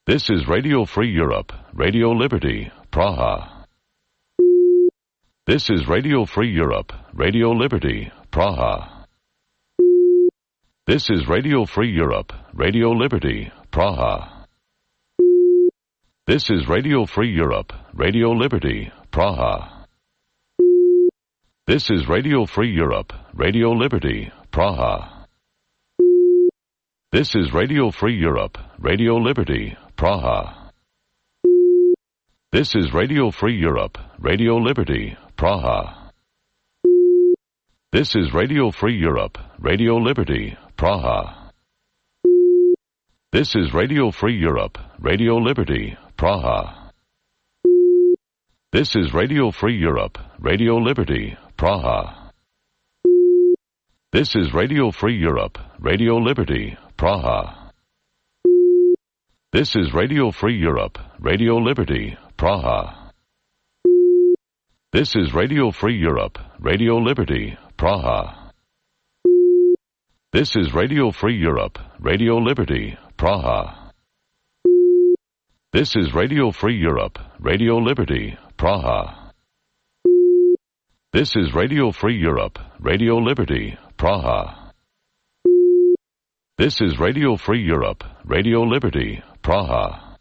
This is Radio Free Europe, Radio Liberty, Praha. This is Radio Free Europe, Radio Liberty, Praha. This is Radio Free Europe, Radio Liberty, Praha. This is Radio Free Europe, Radio Liberty, Praha. This is Radio Free Europe, Radio Liberty, Praha. This is Radio Free Europe, Radio Liberty, Praha. This is Radio Free Europe, Radio Liberty, Praha. This is Radio Free Europe, Radio Liberty, Praha. This is Radio Free Europe, Radio Liberty, Praha. This is Radio Free Europe, Radio Liberty, Praha. This is Radio Free Europe, Radio Liberty, Praha. This is Radio Free Europe, Radio Liberty, Praha. This is Radio Free Europe, Radio Liberty, Praha. This is Radio Free Europe, Radio Liberty, Praha. This is Radio Free Europe, Radio Liberty, Praha. This is Radio Free Europe, Radio Liberty, Praha. This is Radio Free Europe, Radio Liberty, Praha.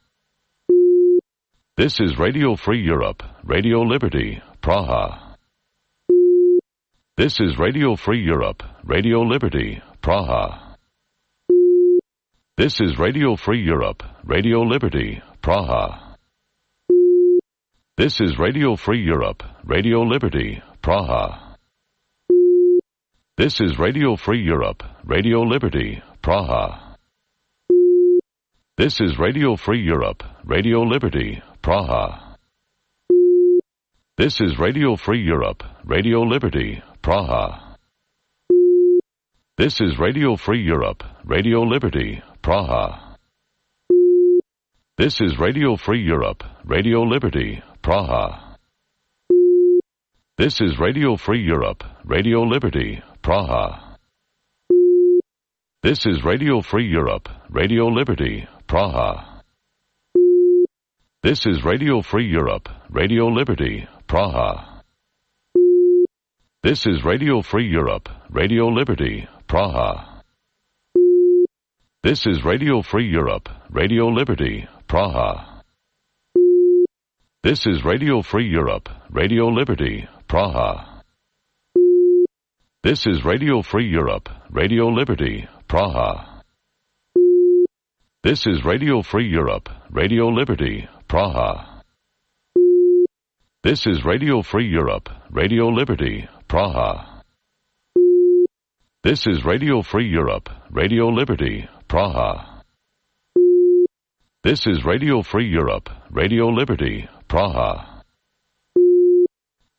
This is Radio Free Europe, Radio Liberty, Praha. This is Radio Free Europe, Radio Liberty, Praha. This is Radio Free Europe, Radio Liberty, Praha. This is Radio Free Europe, Radio Liberty, Praha. This is Radio Free Europe, Radio Liberty, Praha. This is Radio Free Europe, Radio Liberty, Praha. This is Radio Free Europe, Radio Liberty, Praha. This is Radio Free Europe, Radio Liberty, Praha. This is Radio Free Europe, Radio Liberty, Praha. This is Radio Free Europe, Radio Liberty, Praha. This is Radio Free Europe, Radio Liberty, Praha. This is Radio Free Europe, Radio Liberty, Praha. This is Radio Free Europe, Radio Liberty, Praha. This is Radio Free Europe, Radio Liberty, Praha. This is Radio Free Europe, Radio Liberty, Praha. This is Radio Free Europe, Radio Liberty, Praha. This is Radio Free Europe, Radio Liberty, Praha. This is Radio Free Europe, Radio Liberty, Praha. This is Radio Free Europe, Radio Liberty, Praha. This is Radio Free Europe, Radio Liberty, Praha.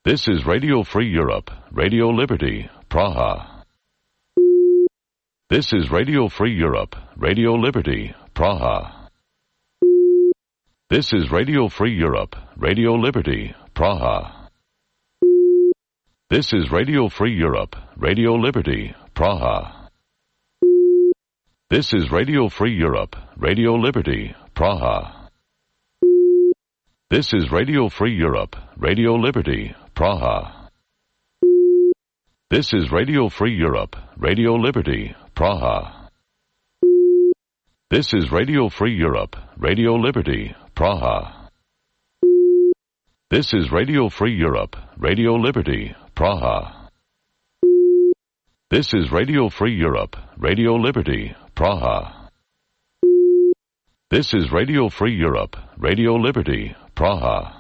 This is Radio Free Europe, Radio Liberty, Praha. This is Radio Free Europe, Radio Liberty, Praha. This is Radio Free Europe, Radio Liberty, Praha. This is Radio Free Europe, Radio Liberty, Praha. This is Radio Free Europe, Radio Liberty, Praha. This is Radio Free Europe, Radio Liberty, Praha. This is Radio Free Europe, Radio Liberty, Praha. This is Radio Free Europe, Radio Liberty, Praha. This is Radio Free Europe, Radio Liberty, Praha. This is Radio Free Europe, Radio Liberty, Praha. This is Radio Free Europe, Radio Liberty, Praha.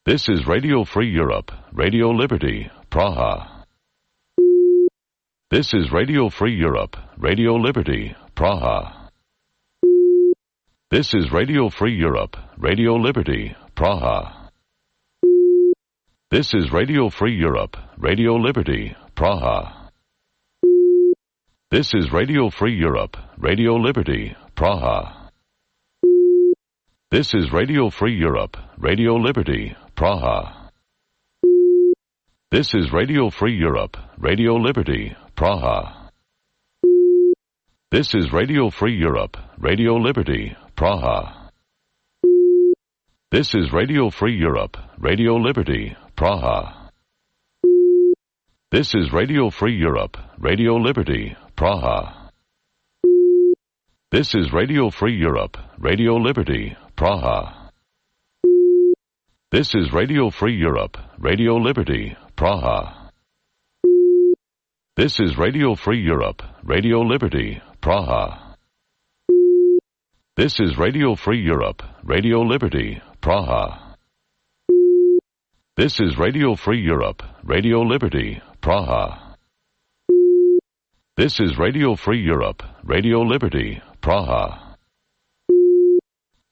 This is Radio Free Europe, Radio Liberty, Praha. This is Radio Free Europe, Radio Liberty, Praha. This is Radio Free Europe, Radio Liberty, Praha. This is Radio Free Europe, Radio Liberty, Praha. This is Radio Free Europe, Radio Liberty, Praha. This is Radio Free Europe, Radio Liberty, Praha. This is Radio Free Europe, Radio Liberty, Praha. This is Radio Free Europe, Radio Liberty, Praha. This is Radio Free Europe, Radio Liberty, Praha. This is Radio Free Europe, Radio Liberty, Praha. This is Radio Free Europe, Radio Liberty, Praha. This is Radio Free Europe, Radio Liberty, Praha. This is Radio Free Europe, Radio Liberty, Praha. This is Radio Free Europe, Radio Liberty, Praha. This is Radio Free Europe, Radio Liberty, Praha. This is Radio Free Europe, Radio Liberty, Praha.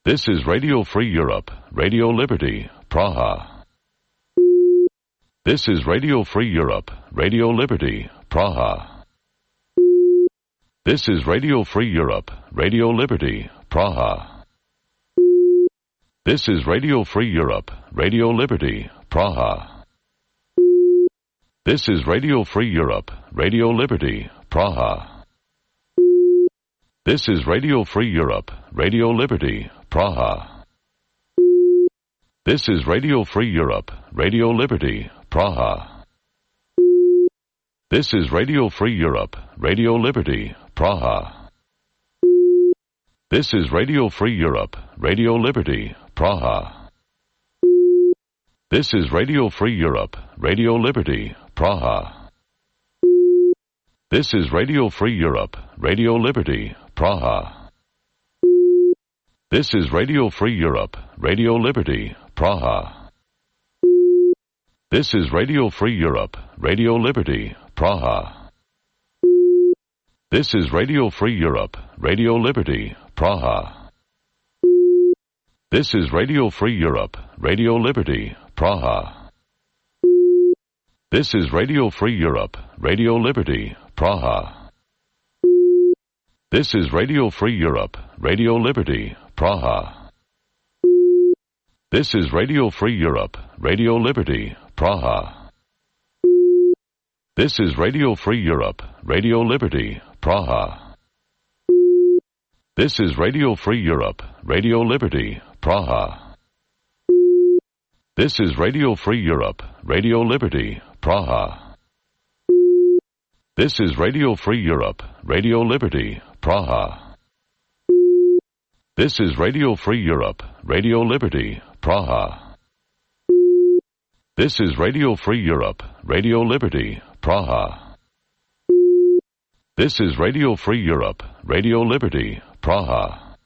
This is Radio Free Europe, Radio Liberty, Praha. This is Radio Free Europe, Radio Liberty, Praha. This is Radio Free Europe, Radio Liberty, Praha. This is Radio Free Europe, Radio Liberty, Praha. This is Radio Free Europe, Radio Liberty, Praha. This is Radio Free Europe, Radio Liberty, Praha. This is Radio Free Europe, Radio Liberty, Praha. This is Radio Free Europe, Radio Liberty, Praha. This is Radio Free Europe, Radio Liberty, Praha. This is Radio Free Europe, Radio Liberty, Praha. This is Radio Free Europe, Radio Liberty, Praha. This is Radio Free Europe, Radio Liberty, Praha. This is Radio Free Europe, Radio Liberty, Praha. This is Radio Free Europe, Radio Liberty, Praha. This is Radio Free Europe, Radio Liberty, Praha. This is Radio Free Europe, Radio Liberty, Praha. This is Radio Free Europe, Radio Liberty, Praha. This is Radio Free Europe, Radio Liberty, Praha. This is Radio Free Europe, Radio Liberty, Praha. This is Radio Free Europe, Radio Liberty, Praha. This is Radio Free Europe, Radio Liberty, Praha. This is Radio Free Europe, Radio Liberty, Praha. This is Radio Free Europe, Radio Liberty, Praha. This is Radio Free Europe, Radio Liberty, Praha. This is Radio Free Europe, Radio Liberty, Praha.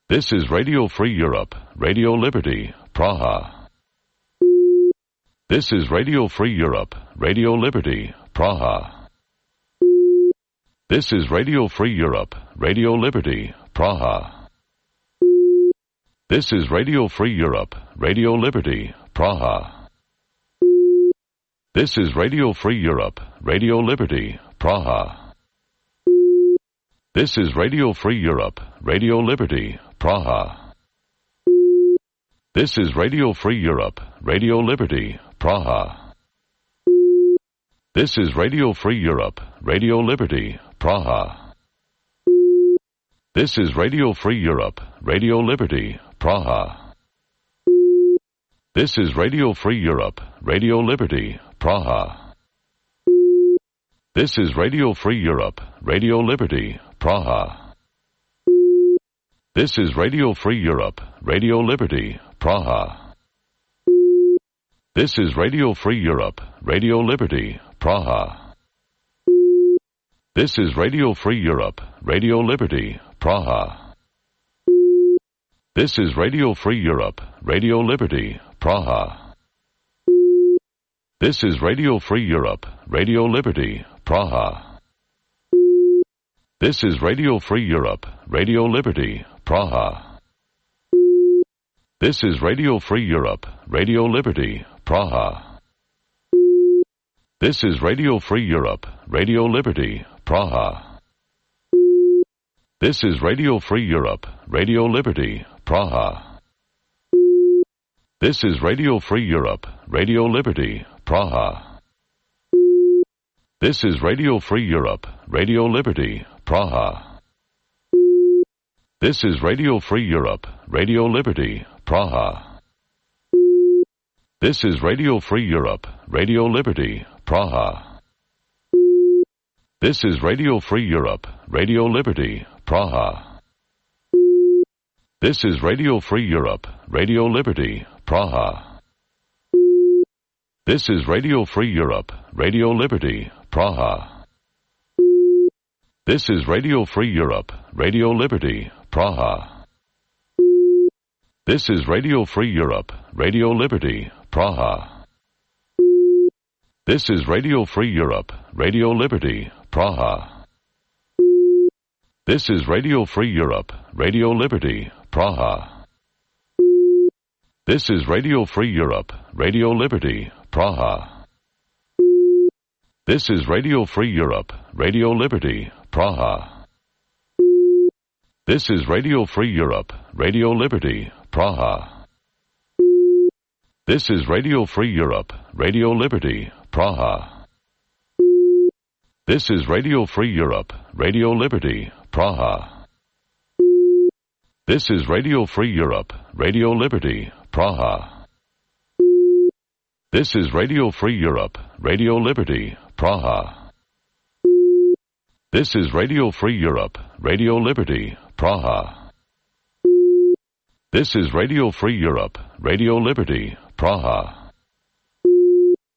This is Radio Free Europe, Radio Liberty, Praha. This is Radio Free Europe, Radio Liberty, Praha. This is Radio Free Europe, Radio Liberty, Praha. This is Radio Free Europe, Radio Liberty, Praha. This is Radio Free Europe, Radio Liberty, Praha. This is Radio Free Europe, Radio Liberty, Praha. This is Radio Free Europe, Radio Liberty, Praha. This is Radio Free Europe, Radio Liberty, Praha. This is Radio Free Europe, Radio Liberty, Praha. This is Radio Free Europe, Radio Liberty, Praha. This is Radio Free Europe, Radio Liberty, Praha. This is Radio Free Europe, Radio Liberty, Praha. This is Radio Free Europe, Radio Liberty, Praha. This is Radio Free Europe, Radio Liberty, Praha. This is Radio Free Europe, Radio Liberty, Praha. This is Radio Free Europe, Radio Liberty, Praha. This is Radio Free Europe, Radio Liberty, Praha. This is Radio Free Europe, Radio Liberty, Praha. This is Radio Free Europe, Radio Liberty, Praha. This is Radio Free Europe, Radio Liberty, Praha. This is Radio Free Europe, Radio Liberty, Praha. This is Radio Free Europe, Radio Liberty, Praha. This is Radio Free Europe, Radio Liberty, Praha. This is Radio Free Europe, Radio Liberty, Praha. This is Radio Free Europe, Radio Liberty, Praha. This is Radio Free Europe, Radio Liberty, Praha. This is Radio Free Europe, Radio Liberty, Praha. This is Radio Free Europe, Radio Liberty, Praha. This is Radio Free Europe, Radio Liberty, Praha. This is Radio Free Europe, Radio Liberty, Praha. This is Radio Free Europe, Radio Liberty, Praha. This is Radio Free Europe, Radio Liberty, Praha. This is Radio Free Europe, Radio Liberty, Praha. This is Radio Free Europe, Radio Liberty, Praha. This is Radio Free Europe, Radio Liberty, Praha. This is Radio Free Europe, Radio Liberty, Praha. This is Radio Free Europe, Radio Liberty, Praha. This is Radio Free Europe, Radio Liberty, Praha. This is Radio Free Europe, Radio Liberty, Praha. This is Radio Free Europe, Radio Liberty, Praha.